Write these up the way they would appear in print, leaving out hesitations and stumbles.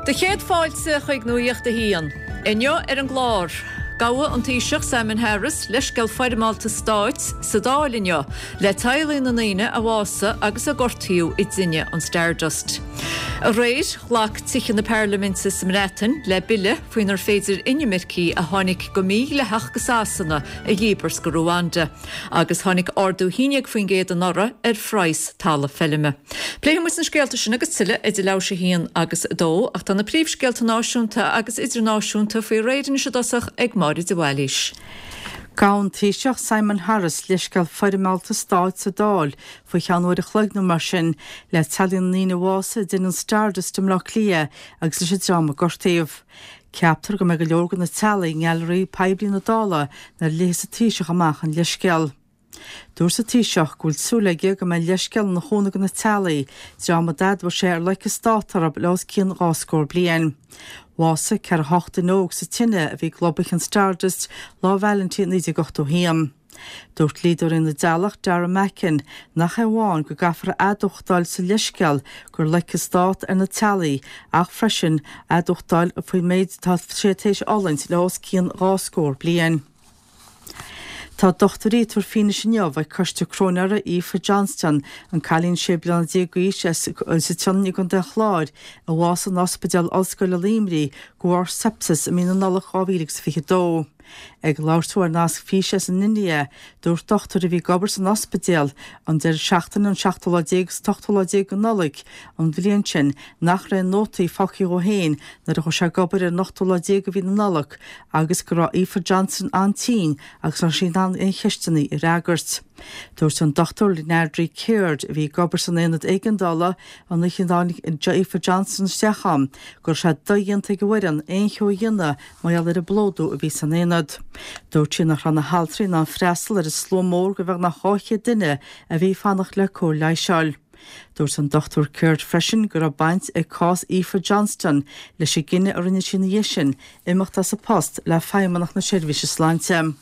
Do chéad fáilte chuig Nuacht a hAon. Inniu ar an gclár, Gabhadh an Taoiseach Simon Harris leithscéal foirmeálta stáit sa Dáil inniu le teaghlaigh na ndaoine a bhásaigh agus a gortaíodh i dtine an Stardust. Aréir, ghlac Tithe na Parlaiminte sa mBreatain le bille faoinar féidir inimircigh a tháinig go mídhleathach go Sasana a dhíbirt go Ruanda. Agus tháinig ardú 11% anuraidh ar phraghas talamh feilme. Pléifidh muid na scéalta sin agus tuilleadh idir leathuair tar éis a haon agus a dó, ach tá na príomhscéalta náisiúnta agus idirnáisiúnta faoi réir anois i dtosach ag Máire de Bhailís. Gabhann an Taoiseach Simon Harris leithscéal foirmeálta stáit sa Dáil faoi cheann uair a chloig nó mar sin le teaghlaigh na ndaoine a bhásaigh i dtine an Stardust i mBleá Cliath agus leis an dream a gortaíodh. Ceaptar go mbeidh go leor de na teaghlaigh i nGailearaí Poiblí na Dála nuair a léifeas an Taoiseach amach an leithscéal. Dúirt an Taoiseach go bhfuil súil aige go mbeidh an leithscéal ina chúnamh do na teaghlaigh, dream a d'admhaigh sé ar loic an stát orthu le os cionn 20 scór bliain. Bhásaigh 48 duine óg sa tine a bhí ag lobhadh an Stardust Lá Vailintín 1981. Dúirt dlíodóirí na dteaghlach, Dara Mackin, nach é amháin go gcaithfear a admhachtáil sa leithscéal gur loic an stát ar na teaghlaigh ach freisin admhachtáil faoin méid atá sé tar éis a fhulaingt le os cionn 20 scór bliain. Tá dochtúirí ag tabhairt fianaise inniu ag coiste cróinéara Aoife Johnston, an cailín 16 bliana d'aois as an tSionainn i gContae an Chláir, a bhásaigh in Ospidéal Ollscoile Luimnigh de bharr sepsis i mí na Nollag 2022. Ag labhairt dó ar nasc físe as an India, dúirt dochtúir a bhí ag obair san ospidéal an deireadh seachtaine an seachtú lá déag agus an t-ochtú lá déag de Nollaig an bhliain sin nach raibh aon nótaí fágtha dhó féin nuair a chuaigh sé ag obair ar an ochtú lá déag de mhí na Nollag agus go raibh Aoife Johnston an-tinn agus nach raibh sí in ann aon cheisteanna a fhreagairt. Dúirt an Dr Liadri Caird, a bhí ag obair san aonad éigeandála an oíche a dtáinig Aoife Johnston isteach ann, go raibh sé dodhéanta ag an bhfoireann aon cheo a dhéanamh mar gheall ar an bplódú a bhí san aonad. Dúirt sí nach raibh na haltraí in ann freastal ar an slua mór de bheagnach 200 duine a bhí ag fanacht le cóir leighis a fháil. Dúirt an Dr Caird freisin go raibh baint ag cás Aoife Johnston leis an gcinneadh a rinne sí ina dhiaidh sin imeacht as a post le Feidhmeannacht na Seirbhíse Sláinte.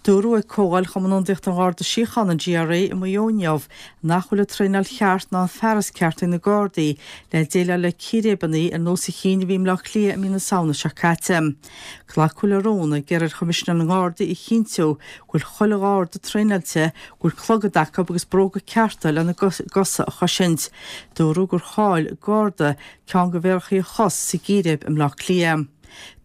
Dúradh ag Comhdháil Chumann Ionadaíochta an Gharda Síochána, an GRA, i Maigh Eo inniu nach bhfuil an traenáil cheart ná an fearas ceart ag na Gardaí le déileáil le círéibeanna ar nós an chinn a bhí i mBleá Cliath i mí na Samhna seo caite. Glacadh le rún ag iarraidh ar Choimisinéir na nGardaí a chinntiú go bhfuil chuile Gharda traenáilte, go bhfuil clogad acu agus bróga cearta lena gcosa a chosaint. Dúradh gur chaill Garda ceann de mhéarachaí a chos sa gcíréib i mBleá Cliath.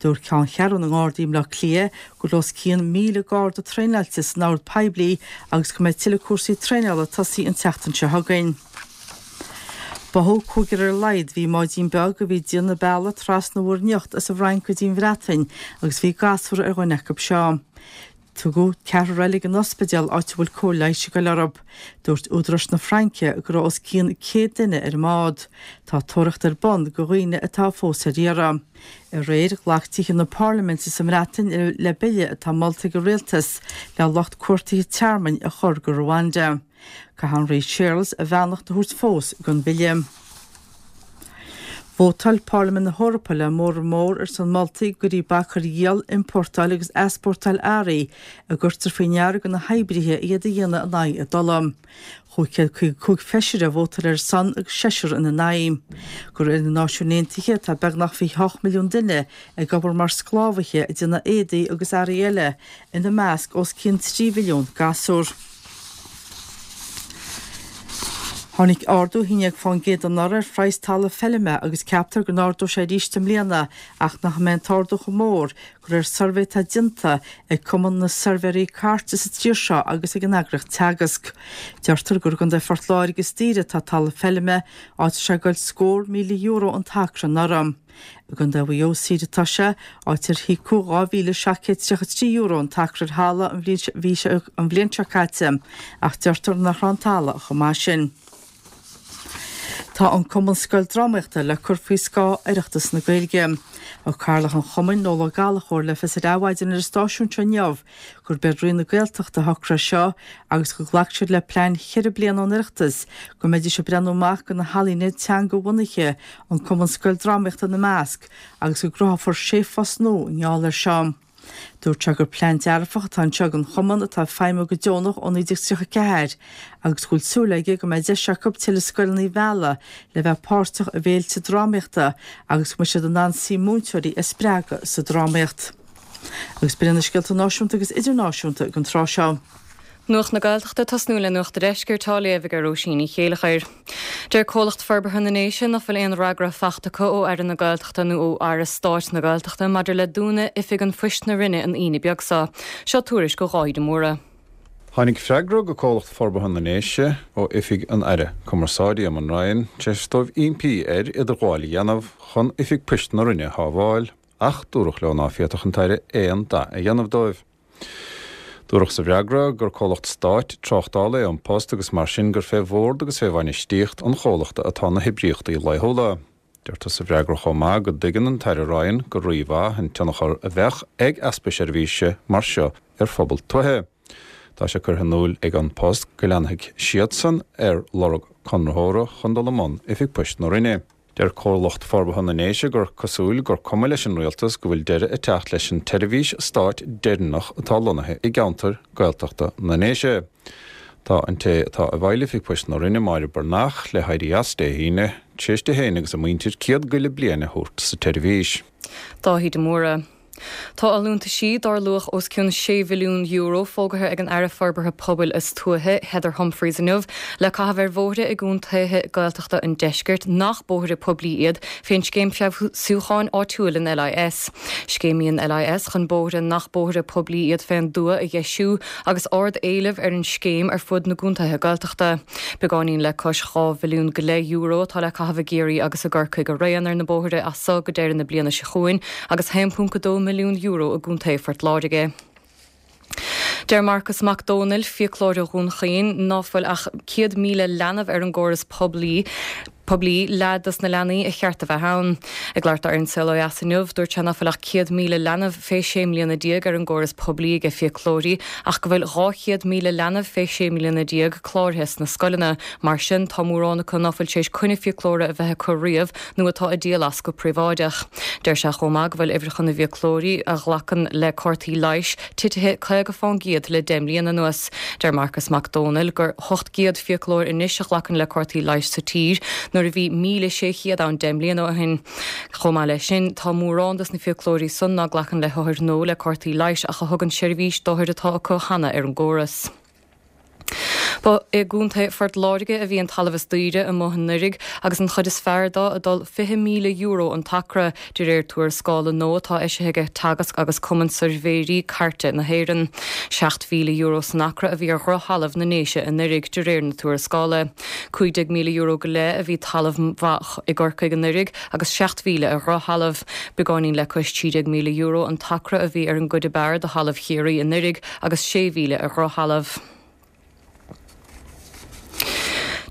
Dúirt Ceanncheathrú na nGardaí i mBleá Cliath go bhfuil os cionn 1,000 Garda traenáilte san ord poiblí agus go mbeidh tuilleadh cúrsaí traenála ag tosaí an tseachtain seo chugainn. Báthadh cúigear ar a laghad a bhí i mbáidín beag a bhí ag déanamh bealaigh trasna Mhuir nIocht as an bhFrainc go dtí an Bhreatain agus bhí gasúr ar dhuine acu seo. Tugadh ceathrar eile ag an ospidéal áit a bhfuil cóir leighis ag goil orthu. Dúirt údaráis na Fraince go raibh os cionn 100 duine ar an mbád. Tá tóraíocht ar bun do dhaoine atá fós ar iarraidh. Aréir, ghlac Tithe na Parlaiminte sa mBreatain le bille atá molta ag an rialtas le lucht cuartaithe tearmainn a chur go Rwanda. Caithfidh an Rí Séarlas a bheannacht a thabhairt fós don bhille. Vótáil Parlaimint na hEorpa le móramh mór ar son moltaí go gcuirfí bac ar dhíol, iompórtáil agus easpórtáil earraí a gcuirtear faoi ndeara do na hoibrithe iad a dhéanamh in aghaidh a dtola. Chúig 155 feisire a vótáil ar a son agus seisear ina n-aghaidh. De réir na Náisiún Aontaithe tá beagnach 28 milliún duine ag obair mar sclábhaithe ag déanamh éadaí agus earraí eile, ina measc os cionn 3 mhilliún gasúr. Tháinig ardú 11% anuraidh ar phraghas talamh feilme agus ceaptar go n-ardóidh sé arís i mbliana ach nach mbeidh an t-ardú chomh mór, de réir suirbhé atá déanta ag Cumann na Suirbhéirí Cairte sa tír seo agus ag an eagraíocht Teagasc. Deirtear gur i gContae Phort Láirge is daoire atá talamh feilme, áit a raibh sé ag goil scór €1,000 an t-acra anuraidh. I gContae Mhaigh Eo is saoire atá sé, áit ar híocadh €2,733 an t-acra ar thalamh an bhliain seo caite, ach deirtear nach raibh an talamh chomh maith sin. Tá an Cumann Scoildrámaíochta le cur faoi scáth Oireachtas na Gaeilge. Thug Cathaoirleach an Chumainn, Noel Ó Gallchóir, le fios ar Adhmhaidin ar an stáisiún seo inniu gurb é Roinn na Gaeltachta a shocraigh é seo agus gur ghlac siad le plean cheithre bliana ón Oireachtas go mbeidís ag breathnú amach do na healaíona teanga-bhunaithe, an Cumann Scoildrámaíochta ina measc, agus go gcruthófar sé phost nua i ngeall air seo. Dúirt sé gur plean dearfach atá anseo ag an chumann atá ag feidhmiú go deonach ó 1934 agus go bhfuil súil aige go mbeidh deis acu tuilleadh scoileanna a mhealladh le bheith páirteach i bhféilte drámaíochta agus go mbeidh siad in ann saoi múinteoirí a spreagadh sa drámaíocht. Agus b'in iad na scéalta náisiúnta agus idirnáisiúnta don tráth seo. Nuacht na Gaeltachta ag tosnú le Nuacht a' Deiscirt á léamh ag Róisín Ní Chéilleachair. Deir Comhlacht Forbartha na nDéise nach bhfuil aon fhreagra fachta acu ó Aire na Gaeltachta nó ó Aire Stáit na Gaeltachta maidir le dúnadh Oifig an Phoist na Rinne an Aoine beag seo. Seo tuairisc ó Dháithí de Mórdha. Tháinig freagra go Comhlacht Forbartha na nDéise ó Oifig an Aire Cumarsáide Eamon Ryan tar éis dóibh impí air idirghabháil a dhéanamh chun Oifig Poist na Rinne a shábháil ach dúradh leo ná féadfadh an tAire aon dath a dhéanamh dóibh. Dúradh sa bhfreagra gur comhlacht stáit tráchtála é An Post agus mar sin gur fé bhord agus fé bhainistíocht an chomhlachta atá na hoibríochtaí laethúla. Deirtear sa bhfreagra chomh maith go dtuigeann an tAire Ryan go rímhaith an tionchar a bheadh ag easpa seirbhíse mar seo ar phobal tuaithe. Tá sé curtha in iúl ag An Post go leanfaidh siadsan ar lorg conraitheora chun dul i mbun Oifig Poist na Rinne. Deir Comhlacht Forbartha na nDéise gur cosúil gur cuma leis an Rialtas go bhfuil deireadh ag teacht leis an tseirbhís stáit deireanach atá lonnaithe i gceantar Gaeltachta na nDéise. Tá an té atá i bhfeighil Oifig Poist na Rinne, Máire Breathnach, le héirí as Dé hAoine, tar éis di féin agus a muintir 100 go leith bliain a thabhairt sa tseirbhís. Dáithí de Mórdha. Tá allúntaisí dár luach os cionn €6 mhilliún fógartha ag an Aire Forbartha Pobail is Tuaithe, Heather Humphreys inniu le caitheamh ar bhóithre i gcontaetha Gaeltachta an deiscirt nach bóithre poiblí iad fén Scéim Feabhsúcháin Áitiúil an LIS. Scéim í an LIS chun bóithre nach bóithre poiblí iad fén dtuath a dheisiú agus ard-éileamh ar an scéim ar fud na gcontaetha Gaeltachta. Beagáinín le cois €2 mhilliún go leith atá le caitheamh i gCiarraí agus i gCorcaigh araon ar na bóithre as so go deireadh na bliana seo chugainn agus €1.2 milliún i gContae Phort Láirge. Deir Marcas Mac Dónaill, fiaclóir ó Dhún Chaoin, ná fuil ach 100,000 leanbh ar an gcóras poiblí, poiblí, leath dos na leanaí a cheart a bheith ann. Ag labhairt dó ar An Saol Ó Dheas inniu, dúirt sé ná fuil ach 100,000 leanbh fé 16 mbliana ar an gcóras poiblí aige fiaclóirí ach go bhfuil 200,000 leanbh fé 16 mbliana cláraithe sna scoileanna. Mar sin, tá mórán acu ná fuil tar éis coinne fiaclóra a bheith acu riamh nó atá ag díol as go príobháideach. Deir sé chomh maith go bhfuil uimhreacha na bhfiaclóirí a ghlacann le cártaí leighis titithe 50 fán gcéad le 10 mbliana anuas. Deir Marcas Mac Dónaill gur 800 fiaclóir anois a ghlacann le cártaí leighis sa tír nuair a bhí 1,600 ann 10 mbliana ó shin. Chomh maith leis sin, tá mórán dos na fiaclóirí san ná glacann le hothair nua le cártaí leighis ach a thugann seirbhís d'othair atá acu cheana ar an gcóras. Ba i gContae Phort Láirge a bhí an talamh is daoire amuigh anuraidh agus an chuid is fearr dó ag dul €20,000 an t-acra, de réir tuarascála nua atá eisithe aige Teagasc agus Cumann Suirbhéirí Cairte na hÉireann. €7,000 san acra a bhí ar dhroch-thalamh na nDéise anuraidh, de réir na tuarascála. €15,000 go leith a bhí talamh mhaith i gCorcaigh anuraidh agus 7,000 ar dhroch-thalamh. Beagáinín le cois €13,000 an t-acra a bhí ar an gcuid ab fhearr de thalamh Chiarraí anuraidh agus 6,000 ar dhrochthalamh.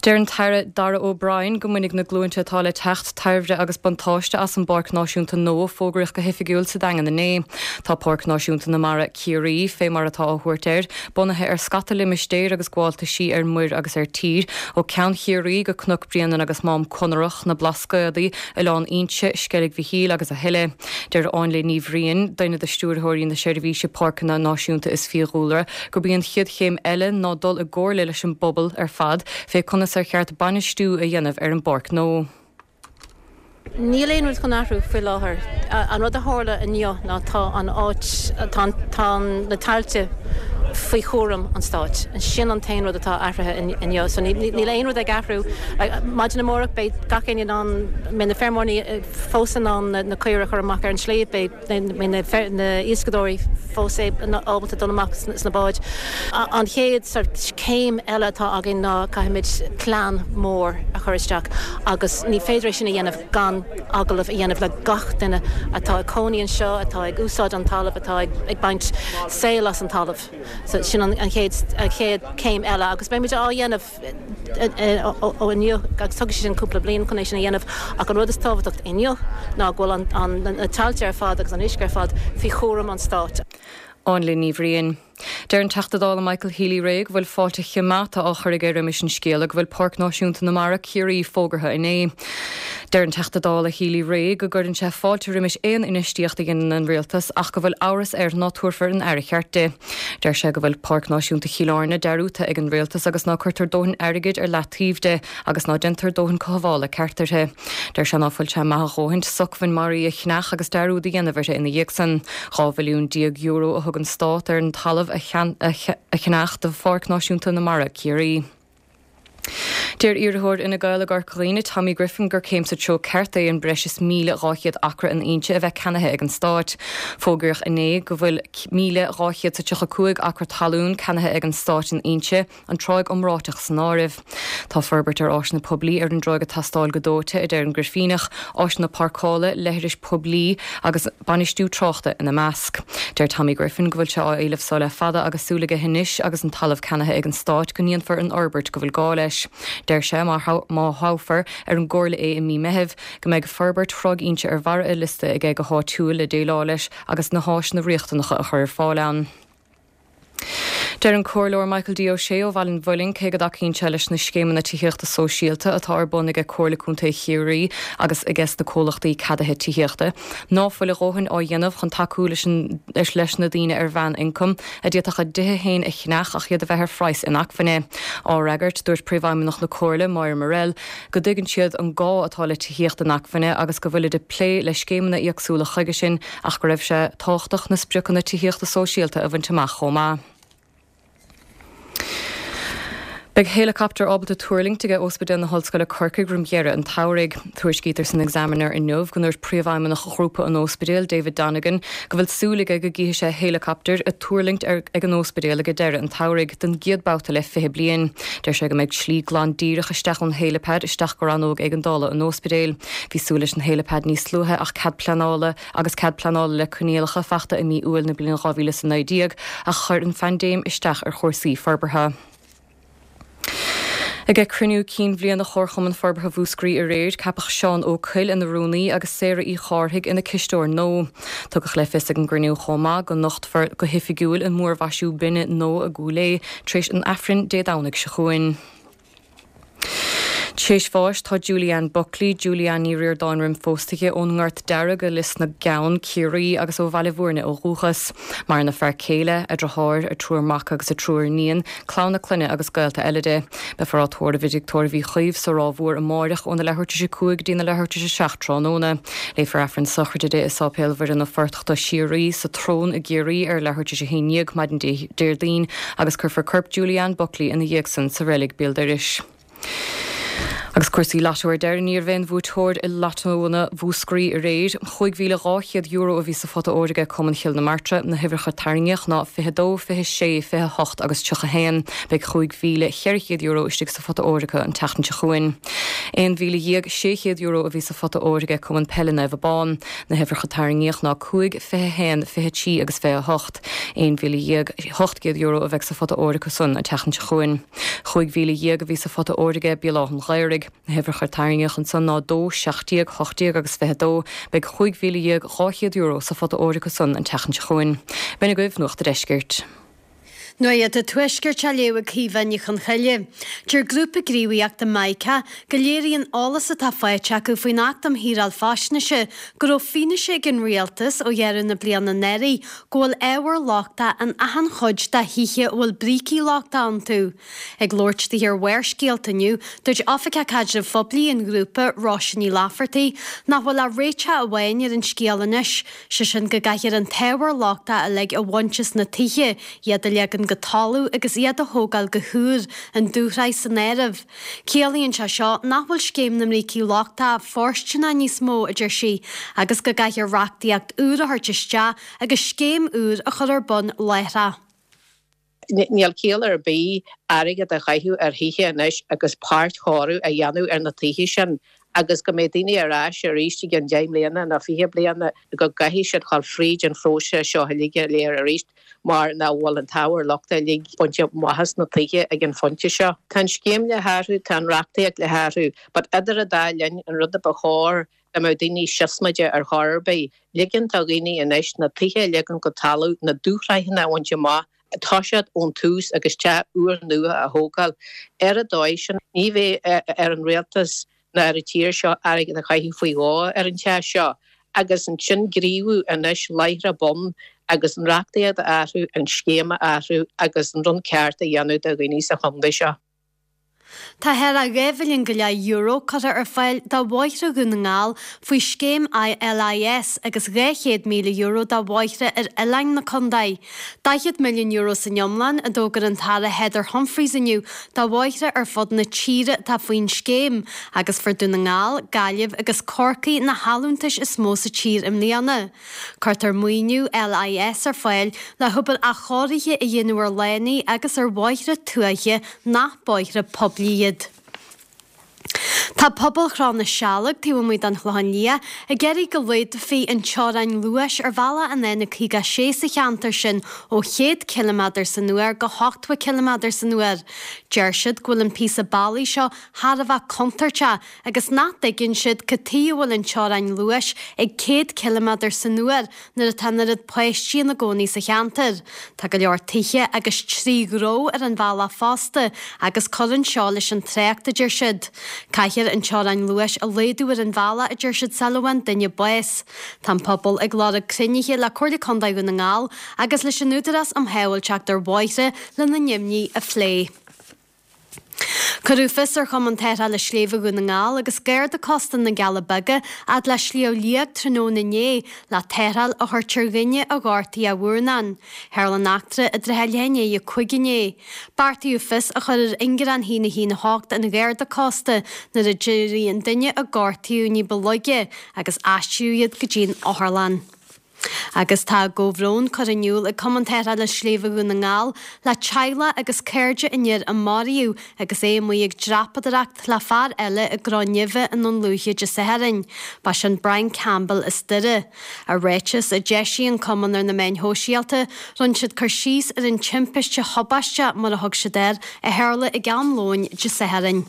Deir an tAire Darragh O'Brien go mbainfidh na glúinte atá le teacht tairbhre agus buntáiste as an bPáirc Náisiúnta nua a fógraíodh go hoifigiúil sa Daingean inné. Tá Páirc Náisiúnta na Mara, Ciarraí, fé mar atá á thabhairt air, bunaithe ar scata limistéir agus gabháltaisí ar muir agus ar tír, ó Ceann Chiarraí go Cnoc Bréanainn agus Mám Conarach, na Blascaodaí, Oileán Inse, Sceilg Mhichíl agus a thuilleadh. Deir Áinle Ní Bhriain, duine de stiúrthóirí na Seirbhíse Páirceanna Náisiúnta is Fiadhúlra, gurb í an chéad chéim eile ná dul i gcomhairle leis an bpobal ar fad fé conas ar cheart bainistiú a dhéanamh ar an bpáirc nua. Níl aon rud chun athrú faoi láthair. An rud a tharla inniu ná tá an áit, tá, tá na tailte faoi chúram an stáit. Sin an t-aon rud atá athraithe inniu. So níl aon rud ag athrú. Maidin amárach beidh gach éinne in ann, beidh na feirmeoirí fós in ann na caoirigh a chur amach ar an sliabh, beidh na hiascadóirí fós ábalta dul amach sna báid. An chéad sort céim eile atá againn ná caithfimid plean mór a chur isteach agus ní féidir é sin a dhéanamh gan agallamh a dhéanamh le gach duine atá ag cónaí anseo, atá ag úsáid an talamh, atá ag baint saol as an talamh. So sin an chéad chéim eile agus beimid á dhéanamh. ó inniu agus tógfaidh sé sin cúpla bliain chun é sin a dhéanamh ach an rud is tábhachtach inniu ná go bhfuil na tailte ar fad agus an uisce ar fad faoi chúram an stáit. Áinle Ní Bhriain. Deir an Teachta Dála Michael Healy-Rae go bhfuil fáilte choimeádta á chur aige roimis an scéala go bhfuil Páirc Náisiúnta na Mara, Ciarraí fógartha inné. Deir an Teachta Dála Healy-Rae go gcuireann sé fáilte roimis aon infheistíocht a dhéanann an Rialtas ach go bhfuil amhras air ná tabharfar an aire cheart di. Deir sé go bhfuil Páirc Náisiúnta Chill Airne dearúdta ag an Rialtas agus ná cuirtear dóthain airgid ar leataobh di agus ná déantar dóthain cothabhála ceart uirthi. Deir sé ná fuil sé maith a dhóthaint socmhainn mar í a cheannach agus dearúd a dhéanamh uirthi ina dhiaidh san. €12 mhilliún a thug an Stát ar an talamh a cheannach do Pháirc Náisiúnta na Mara, Ciarraí. Deir iarrthóir Fhine Gael i gCorca Dhuibhne, Tommy Griffin, gur céim sa treo ceart é an breis is 1,200 acra in Inse a bheith ceannaithe ag an Stát. Fógraíodh inné go bhfuil 1,235 acra talún ceannaithe ag an Stát in Inse, an tráigh iomráiteach san áireamh. Tá forbairt ar áiseanna poiblí ar an dtráigh ag teastáil go dóite, a deir an Grifíneach, áiseanna páirceála, leithris poiblí agus bainistiú tráchta ina measc. Deir Tommy Griffin go bhfuil sé á éileamh so le fada agus súil aige anois agus an talamh ceannaithe ag an Stát go ndéanfar an fhorbairt go bhfuil gá leis. Deir sé má thoghfar ar an gComhairle é i mí Meithimh go mbeidh forbairt Thráigh Inse ar bharra a liosta aige go háitiúil le déileáil leis agus na háiseanna riachtanacha a chur ar fáil ann. Deir an Comhairleoir Michael D. Ó Sé ó Bhaile an Mhuilinn, cé go dtacaíonn sé leis na scéimeanna tithíochta sóisialta atá ar bun aige Comhairle Contae Chiarraí agus aiges na comhlachtaí ceadaithe tithíochta, ná fuil a dhóthain á dhéanamh chun tacú leis leis na daoine ar mheán-ioncam a d'fhéadfadh a dtithe féin a cheannach ach iad a bheith ar phraghas inacmhainne. Á fhreagairt, dúirt Príomhfheidhmeannach na Comhairle, Máire Murrell, go dtuigeann siad an gá atá le tithíocht inacmhainne agus go bhfuilid ag plé le scéimeanna éagsúla chuige sin ach go raibh sé tábhachtach na spriocanna tithíochta sóisialta a bhaint amach chomh maith. Beidh héileacaptar ábalta tuirlingt aige Ospidéal na hOllscoile Corcaigh roim dheireadh an tsamhraidh. Tuairiscítear san Examiner inniu go ndúirt Príomhfheidhmeannach Ghrúpa an Ospidéil, David Donegan, go bhfuil súil aige go gcífidh sé héileacaptar ag tuirlingt ag an ospidéal aige deireadh an tsamhraidh, don gcéad babhta le 20 bliain. Deir sé go mbeidh slí glan díreach isteach ón héileapad isteach go rannóg éigeandála an ospidéil. Bhí súil leis an héileapad níos luaithe ach cead pleanála agus cead pleanála le coinníollacha fachta i mí Iúil na bliana 2019 ach chuir an phaindéim isteach ar chúrsaí forbartha. Ag cruinniú cinn bhliana Chomharchumann Forbartha Mhúscraí aréir, ceapadh Seán Ó Coill ina rúnaí agus Sarah Uí Chárthaigh ina cisteoir nua. Tugadh le fios ag an gcruinniú chomh maith go nochtfar go hoifigiúil an múrmhaisiú binne nua i gCúil Aodha tar éis an Aifrinn Dé Domhnaigh seo chugainn. Tréis bháis tá Julie Ann Buckley, Julie Ann Ní Ríordáin roim phósadh di, ón nGort Dearg i Lios na gCeann, Ciarraí, agus ó Bhaile Bhúirne ó dhúchas. Maireann a fear céile, a driotháir, a triúr mac agus a triúr iníon, clann a clainne agus gaolta eile di. Beifear á tórramh i dTigh Tórraimh Uí Chaoimh sa Ráth Mhór amáireach óna leathuair tar éis a 5 go dtí na leathuair tar éis a 7 tráthnóna. Léifear Aifreann sochraide di i Sáipéal Mhuire na Fortachta Síoraí sa tSrón i gCiarraí ar leathuair tar éis a 11 maidin Déardaoin agus cuirfear corp Julie Ann Buckley ina dhiaidh san sa reilig béal dorais. Agus cúrsaí Lotto ar deireadh, ní raibh aon bhuaiteoir i Lottóanna Mhúscraí aréir. €5,200 a bhí sa phota óir aige Cumann Chill na Martra. Na huimhreacha tarraingíodh ná 22, 26, 28 agus 31. Beidh €5,400 istigh sa phota óir acu an tseachtain seo chugainn. €11,600 a bhí sa phota óir aige Cumann Peile Naomh Abán. Na huimhreacha tarraingíodh ná 5, 21, 23 agus 28. €11,800 a bheidh sa phota óir acu san an tseachtain seo chugainn. 15,000 a bhí sa phota óir aige Béal Átha an Ghaorthaidh. Na huimhreacha a tarraingíodh ansan ná 2, 17, 18 agus 22. Beidh €15,200 sa phota óir acu san an tseachtain seo chugainn. B'in agaibh Nuacht a' Deiscirt. Nuacht an Tuaiscirt á léamh ag Caoimhe Ní Chonchoille. Deir grúpa gníomhaíochta Mica go léiríonn eolas atá faighte acu faoin Acht um Shaoráil Faisnéise go raibh fianaise ag an Rialtas ó dheireadh na bliana anuraidh go bhfuil ábhar lochtach in achan chuid de thithe a bhfuil brící lochtacha iontu. Ag labhairt di ar Bharrscéalta inniu, dúirt Oifigeach Caidrimh Phoiblí an ghrúpa, Róise Ní Laifeartaigh, nach bhfuil ach réiteach amháin ar an scéal anois, sé sin go gcaithfear an t-ábhar lochtach uilig a bhaint as na tithe, iad a leagan go talamh agus iad a thógáil go húr, an dúshraith san áireamh. Ciallaíonn sé seo nach bhfuil scéim na mbrící lochtacha fóirsteanach níos mó, a deir sí, agus go gcaithfear reachtaíocht úr a thabhairt isteach agus scéim úr a chur ar bun láithreach. Níl ciall ar bith airgead a chaitheamh ar thithe anois agus páirtchóiriú a dhéanamh ar na tithe sin agus go mbeidh daoine ar ais arís i gceann 10 mbliana nó 20 bliana go gcaithfidh siad dhul fríd an phróiseas seo uilig go léir arís mar nach bhfuil an t-ábhar lochtach uilig bainte amach as na tithe ag an phointe seo. Tá an scéim le hathrú, tá an reachtaíocht le hathrú but idir an dá linn an rud a ba chóir dá mbeadh daoine siosmaideach ar chor ar bith, ligean do dhaoine anois na tithe a leagan go talamh, na dúshraitheanna a bhaint amach, toiseacht ón tús agus teach úrnua a thógáil. Ar an dóigh sin, ní bheidh ar an rialtas. ná ar an tír seo airgead a chaitheamh faoi dhó ar an teach seo agus ansin gníomhú anois láithreach bonn agus an reachtaíocht a athrú, an scéim a athrú agus an rud ceart a dhéanamh do dhaoine sa chontae seo. Tá thar €2 mhilliún go leith euro curtha ar fáil do bhóithre Dhún na nGall faoi scéim LIS agus €200,000 do bhóithre ar oileáin na contae. €40 milliún san iomlán a d'fhógair an tAire Heather Humphreys inniu do bhóithre ar fud na tíre atá faoin scéim agus fuair Dún na nGall, Gaillimh agus Corcaigh na hallúntais is mó sa tír i mbliana. Cuirtear maoiniú LIS ar fáil le hobair athchóirithe a dhéanamh ar lánaí agus ar bhóithre tuaithe nach bóithre poiblí iad. Tá pobal Chró na Sealg taobh amuigh den Chlochán Liath ag iarraidh go laghdófaí an teorainn luais ar bhealach an N56 sa cheantar sin ó 100 ciliméadar san uair go 80 ciliméadar san uair. Deir siad go bhfuil an píosa bealaigh seo thar a bheith contúirteach agus nach dtuigeann siad cad tuighe a bhfuil an teorainn luais ag 100 ciliméadar san uair nuair atá an oiread páistí ina gcónaí sa cheantar. Tá go leor tithe agus 3 ghnó ar an bhealach fosta agus cuireann seo leis an trácht, a deir siad. Caithfear an teorainn luais a laghdú ar an bhealach, a deir siad, sula bhfaigheann duine bás. Tá an pobal ag lorg cruinnithe le Comhairle Contae Dhún na nGall agus leis an Údarás um Shábháilteacht ar Bhóithre lena n-imní a phlé. Cuireadh fios ar Chumann Tarrthála Sléibhe Dhún na nGall agus Garda Cósta na gCealla Beaga fhad le Sliabh Liag tráthnóna inné le tarrtháil a thabhairt ar dhuine a ghortaigh a mhurnán. Tharla an eachtra i dtrátha leath i ndiaidh 5 inné. Beartaíodh fios a chur ar ingearán 1 1 8 an Gharda Cósta nuair a d'éirigh an duine a gortaíodh ní ba laige agus aistríodh iad go dtí an otharlann. Agus tá a gcomhbhrón curtha in iúl ag Cumann Tarrthála Sléibhe Dhún na nGall le teaghlach agus cairde an fhir a maraíodh agus é amuigh ag dreapadóireacht le fear eile i gCró Neimhe i nDún Lúiche Dé Sathairn. Ba sin Brian Campbell as Doire. I ráiteas a d'eisigh an cumann ar na meáin shóisialta, rinne siad cur síos ar an timpiste thubaisteach, mar a thug siad air, a tharla ag am lóin Dé Sathairn.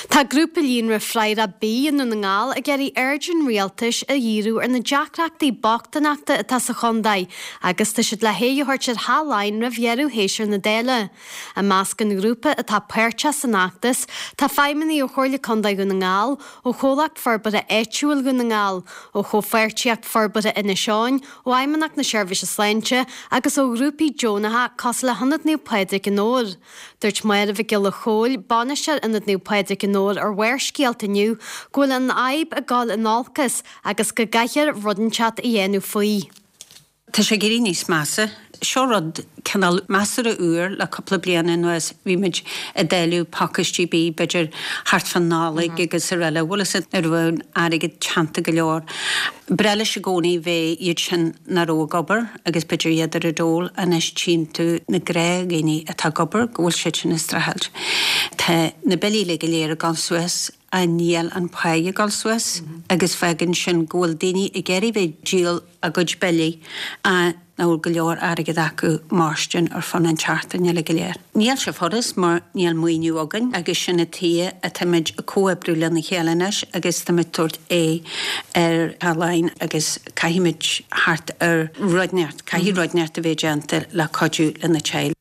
Tá grúpa líonra Fraghrach Bídh i nDún na nGall ag iarraidh aird an rialtais a dhíriú ar na deacrachtaí bochtaineachta atá sa chontae agus tá siad le haghaidh a thabhairt ar Theach Laighean roimh dheireadh shéasúr na Dála. I measc an ghrúpa atá páirteach san fheachtas tá feidhmeannaigh ó Chomhairle Contae Dhún na nGall, ó Chomhlacht Forbartha Áitiúil Dhún na nGall, ó Chomhpháirtíocht Forbartha Inis Eoghain, ó Fheidhmeannacht na Seirbhíse Sláinte agus ó ghrúpaí deonacha cosúil le hIonad Naomh Pádraig i nDobhar. Dúirt Máire Mhic Giolla Chóill, bainisteoir Ionad Naomh Pádraig i nDobhar ar Bharrscéalta inniu go bhfuil an fhadhb ag dul in olcas agus go gcaithfear rud inteacht a dhéanamh faoi. Tá sé ag éirí níos measa. Seo rud cineál measartha úr le cúpla bliain anuas. Bhí muid ag dáileadh pacáistí bídh b'fhéidir thart fán Nollaig agus araile. Bhfuil fhios a'd nuair a bheadh an airgead teannta go leor. B'fhearr leis i gcónaí bheith iad sin nach raibh ag obair. agus b'fhéidir iad ar an dól, anois tchíonn tú na gnáthdhaoine atá ag obair, go bhfuil siad sin ag streachailt. Tá na billí uilig go léir ag dul suas, ach níl an pháigh ag dul suas agus fágann sin go bhfuil daoine ag iarraidh bheith ag díol a gcuid billí ach nach bhfuil go leor airgead acu mairstin ar fud an tseachtain uilig go léir. Níl sé furast mar níl maoiniú againn agus sin an tuige atáimid ag comhoibriú lena chéile anois agus táimid ag tabhairt aghaidh ar Theach Laighean agus Caithfimid theacht ar rud inteacht, caithfidh rud inteacht a bheith déanta le cuidiú le na teaghlaigh.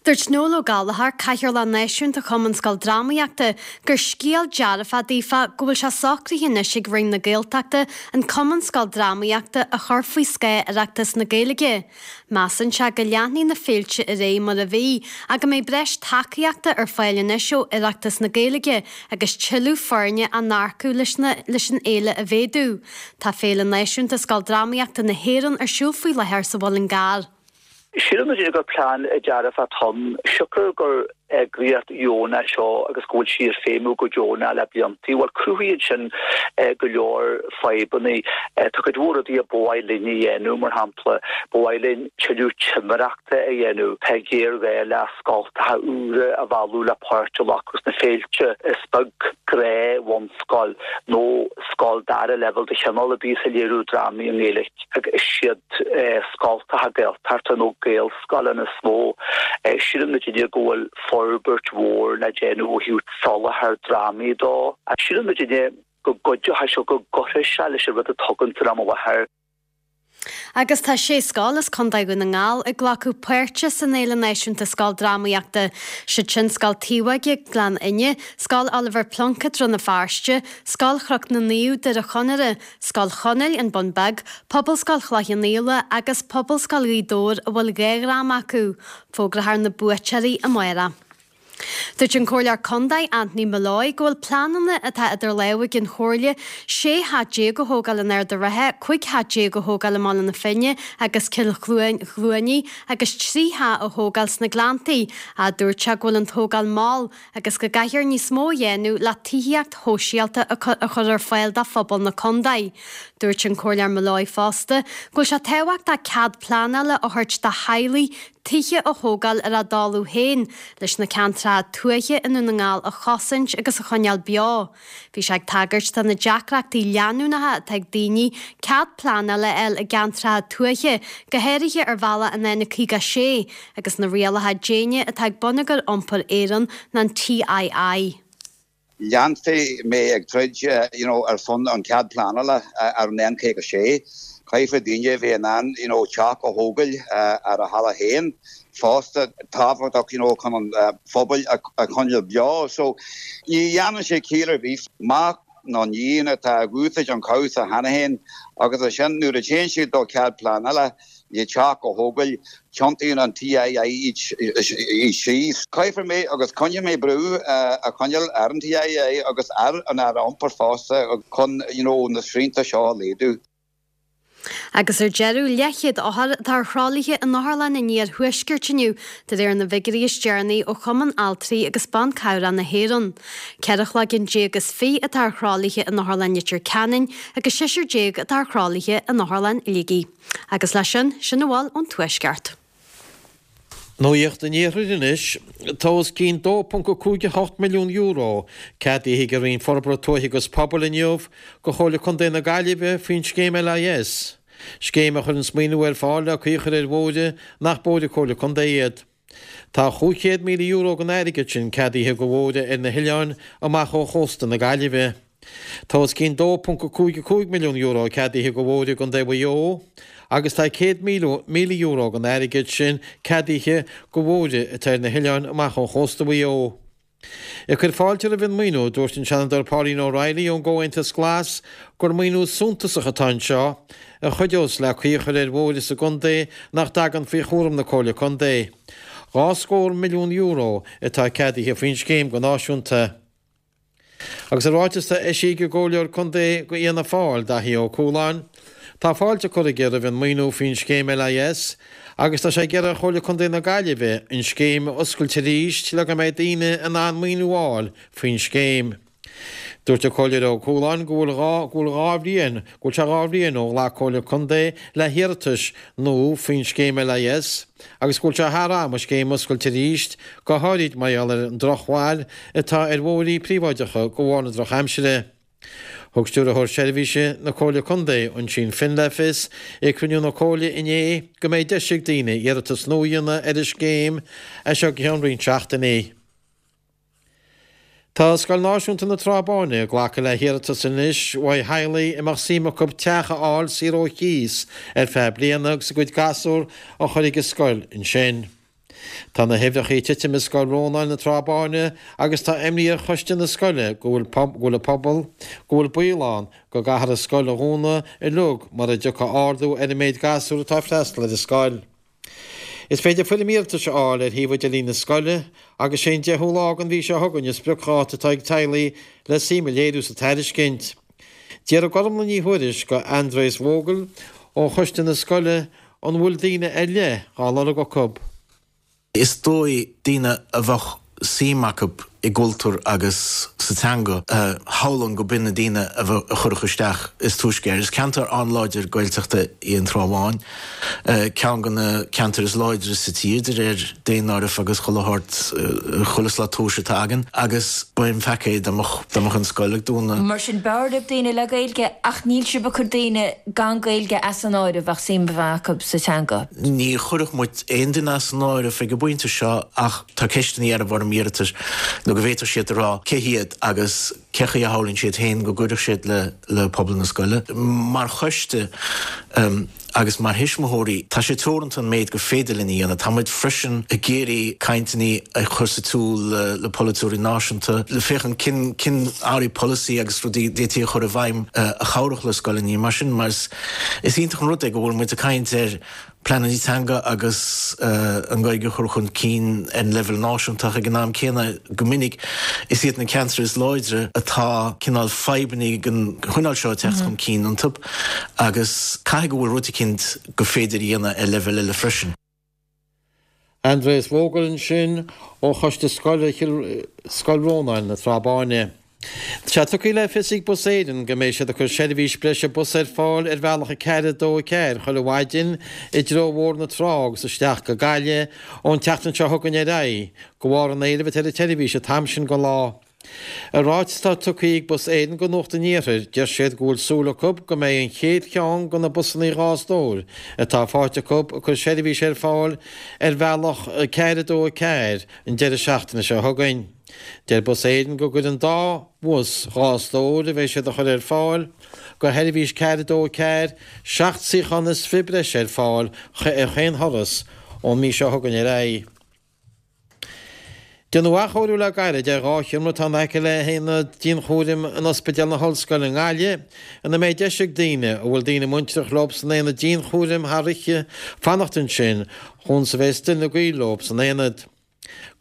Dúirt Noel Ó Gallchóir, Cathaoirleach Náisiúnta Chumann Scoil Drámaíochta, gur scéal dearfach daofa go bhfuil sé socraithe anois ag Roinn na Gaeltachta an Cumann Scoil Drámaíochta a chur faoi scáth Oireachtas na Gaeilge. Measann sé go leanfaidh na féilte ar aghaidh mar a bhí ach go mbeidh breis tacaíochta ar fáil anois ó Oireachtas na Gaeilge agus tuilleadh foirne á n-earcú leis leis an fhéile a mhéadú. Tá Féile Náisiúnta Scoil Drámaíochta na hÉireann ar siúl faoi láthair sa Mhuileann gCearr. Síleann muid gur plean dearfach atá ann, siocair gur eagraíocht dheonach seo agus go bhfuil sí ag feidhmiú go deonach le blianta. Bhuel, cruthaíonn sin go leor fadhbanna. Tá cuid mhór rudaí a ba mhaith linn a dhéanamh, mar shampla, ba mhaith linn tuilleadh timireachta a dhéanamh. Tá géarghá le scoltacha úra a mhealladh le páirt a ghlacadh sna féilte. Is beag gnáth-bhunscoil nó scoil dara leibhéal de chineál ar bith atá ag léiriú drámaí i nGaeilge agus is iad scoltacha Gaeltachta nó Gaelscoileanna is mó. Síleann muidinne go bhfuil forbairt mhór le déanamh ó thaobh soláthar drámaí dó. Síleann muidinne go gcuideoidh seo, go gcuirfidh sé leis an rud atá againn san am i láthair. Agus tá sé scoil as Contae Dhún na nGall ag glacadh páirte san Fhéile Náisiúnta Scoildrámaíochta, siad sin Scoil Taobhóige, Gleann Fhinne, Scoil Oliver Plunkett, Rann na Feirste, Scoil Chnoc na Naomh, Doire Chonaire, Scoil Chonaill, An Bun Beag, Pobalscoil Chloich Cheann Fhaola agus Pobalscoil Ghaoth Dobhair a bhfuil 2 dhráma acu. Fógrófar na buaiteoirí amárach. Dúirt an Comhairleoir Contae Anthony Molloy go bhfuil pleananna atá idir lámha ag an Chomhairle 16 theach a thógáil in Ard an Rátha, 15 theach a thógáil i mBaile na Finne agus Cill Chluanaí agus 3 theach a thógáil sna Gleanntaí ach dúirt sé go bhfuil an tógáil mall agus go gcaithfear níos mó a dhéanamh le tithíocht shóisialta a chur ar fáil do phobal na contae. Dúirt an Comhairleoir Molloy fosta go bhfuil sé tábhachtach cead pleanála a thabhairt do theaghlaigh tithe a thógáil ar a dtalamh féin leis na ceantracha tuaithe i nDún na nGall a chosaint agus a choinneáil beo. Bhí sé ag tagairt do na deacrachtaí leanúnacha atá ag daoine cead pleanála a fháil i gceantracha tuaithe, go háirithe ar bhealach an N56 agus na rialacha déine atá ag Bonneagar Iompair Éireann nó an TII. Leanfaidh mé ag troid you know ar son an cead pleanála ar an N56. Caithfidh daoine a bheith in ann you know teach a thógáil ar a thalamh féin fosta. Tábhachtach you know chun an phobail a choinneáil beo. So ní dhéanann sé ciall ar bith mac nó níon atá ag úsáid an cabhsa cheana féin agus ansin nuair a téann siad do cead pleanála le teach a thógáil, tiontaíonn an TII iad síos. Caithfidh mé agus coinneoidh mé brú a choinneáil ar an TII agus ar an Aire Iompair fosta chun you know na srianta seo a laghdú. Agus ar deireadh, leathchéad othar atá ar thralaithe in otharlann an iarthuaiscirt inniu, de réir na bhfigiúirí is deireanaí ó Chumann Altraí agus Ban Cabhrach na hÉireann. 14 chloigeann is 20 atá ar thralaithe in Otharlann Leitir Ceanainn agus seisear atá ar thralaithe in Otharlann Shligigh. Agus leis sin, sin a bhfuil ón Tuaisceart. Nuacht an Iarthair anois. Tá os cionn €2.58 milliún ceadaithe ag an Roinn Forbartha Tuaithe agus Pobail inniu do Chomhairle Contae na Gaillimhe faoin scéim LIS, scéim a chuireanns maoiniú ar fáil le caoi a chur ar bhóithre nach bóithre Comhairle Contae iad. Tá €500,000 den airgead sin ceadaithe do bhóithre ar na hoileáin amach ó chósta na Gaillimhe. Tá os cionn €2.55 milliún ceadaithe do bhóithre i gContae Mhaigh Eo agus tá €100,000 den airgead sin ceadaithe do bhóithre atá ar na hoileáin amach ó chósta Mhaigh Eo. Ag cur fáilte roimh an maoiniú, dúirt an Seanadóir Pauline O'Reilly ón gComhaontas Glas gur maoiniú suntasach atá anseo a chuideos le caoi a chur ar bhóithre sa gcontae nach dtagann faoi chúram na Comhairle Contae. €2 scór milliún atá ceadaithe faoin scéim go náisiúnta. Agus i ráiteas atá eisithe ag an gComhairleoir Contae do Fhianna Fáil, Daithí Ó Cualáin, tá fáilte curtha aige roimh an maoiniú faoin scéim LIS agus tá sé ag iarraidh ar Chomhairle Contae na Gaillimhe an scéim a oscailt arís le go mbeidh daoine in ann maoiniú a fháil faoin scéim. Dúirt an Comhairleoir Ó Cualáin go bhfuil go bhfuil 2 bhliain go bhfuil sé 2 bhliain ó ghlac Comhairle Contae le hiarratais nua faoin scéim LIS agus go bhfuil sé thar am an scéim a oscailt arís, go háirid mar gheall ar an drochbhail atá ar bhóithrí príobháideacha de bharr na drochaimsire. Thug Stiúrthóir Seirbhíse na Comhairle Contae, Oisín Finn le fios ag cruinniú na Comhairle inné go mbeidh deis ag daoine iarratas nua a dhéanamh ar an scéim as seo go ceann roinnt seachtainí. Tá Scoil Náisiúnta na Trá Báine ag glacadh le hiarratais anois uaidh theaghlaigh a mbeadh suim acu teach a fháil saor ó chíos ar feadh bliana agus a gcuid gasúr a chur ag an scoil ansin. Tá na huimhreacha ag titim i Scoil Rónáin na Trá Báine agus tá imní ar choiste na scoile go bhfuil go bhfuil an pobal, go bhfuil baol ann go gcaithfear an scoil a dhúnadh uilig mura dtiocfaidh ardú ar an méid gasúr atá ag freastal ar an scoil. Is féidir foirm iarratais a fháil ar shuíomh idirlín na scoile agus sé an 10ú lá den mhí seo chugainn an spriocdháta atá ag teaghlaigh le suim a léiriú sa tairiscint. D'fhiafraigh Gormlaith Ní Thuairisg de Andreas Vogel ó choiste na scoile an bhfuil daoine ar leith dhá lorg acu. Is dóigh daoine a bheadh suim acu i gcultúr agus sa teanga, shamhlóinn go b'in na daoine a chuirfeadh isteach is túisce air. Is ceantar an-láidir Gaeltachta í an Trá Bháin, ceann de na ceantair is láidre sa tír de réir daonáireamh agus chuile shórt, chuile shlat tomhais atá againn, agus ba an-pheaca é dá mbeadh an scoil ag dúnadh. Mar sin, b'fhearr libh daoine le Gaeilge ach níl sibh ag cur daoine gan Gaeilge as an áireamh ach suim a bheith acu sa teanga. Ní chuirfeadh muid aon duine as an áireamh ag an bpointe seo ach tá ceisteanna ar an bhfoirm iarratais nó go bhféadfadh siad a rá cé hiad agus. cé chaoi a shamhlaíonn siad féin go gcuirfeadh siad le pobal na scoile. Mar choiste agus mar thuismitheoirí, tá sé teoranta an méid gur féidir linn a dhéanamh. Tá muid freisin ag iarraidh cainteanna a chur sa tsiúl le polaiteoirí náisiúnta le féachaint cén cén áirí polasaí agus rudaí d'fhéadfaí a chur i bhfeidhm a chabhródh le scoileanna. Mar sin, mar is iontach an rud é go bhfuil muid ag caint ar pleananna teanga agus an Ghaeilge a chur chun cinn ar an leibhéal náisiúnta ach ag an am céanna, go minic, is iad na ceantair is láidre atá cineál fadhbanna den chineál seo ag teacht chun cinn iontu agus caithfidh go bhfuil rud eicínt gur féidir a dhéanamh ar leibhéal eile freisin. Aindreas Vogel ansin ó Choiste Scoile Scoil Rónáin na Trá Báine. Tá sé tugtha le fios ag Bus Éireann go mbeidh siad ag cur seirbhís breise bus ar fáil ar bhealach 4, 2, 4 chuile mhaidin i dtreo Bhóthar na Trá agus isteach go Gaillimh ón tseachtain seo chugainn ar aghaidh, de bharr an éilimh atá ar an tseirbhís an t-am sin den lá. I ráiteas atá tugtha ag Bus Éireann go Nuacht an Iarthair, deir siad go bhfuil súil acu go mbeidh an chéad cheann de na busanna 2 stór atá faighte acu ag cur seirbhís ar fáil ar bhealach 4, 2, 4 an deireadh seachtaine seo chugainn. Deir Bus Éireann go gcuirfidh an dá bhus 2 stór a bheidh siad a chur ar fáil go sheirbhís 4, 2, 4, 7 suíochán is fi breise ar fáil ar chaon thuras ón mí seo chugainn ar aghaidh. Déanadh athchóiriú le gairid ar 2 sheomra atá in aice le haonad dianchúraim in Ospidéal na hOllscoile i nGaillimh, ina mbeidh deis ag daoine a bhfuil daoine muintreach leo san aonad dianchúraim thar oíche fanacht ansin chúns a bheith istigh ina gaol leo san aonad.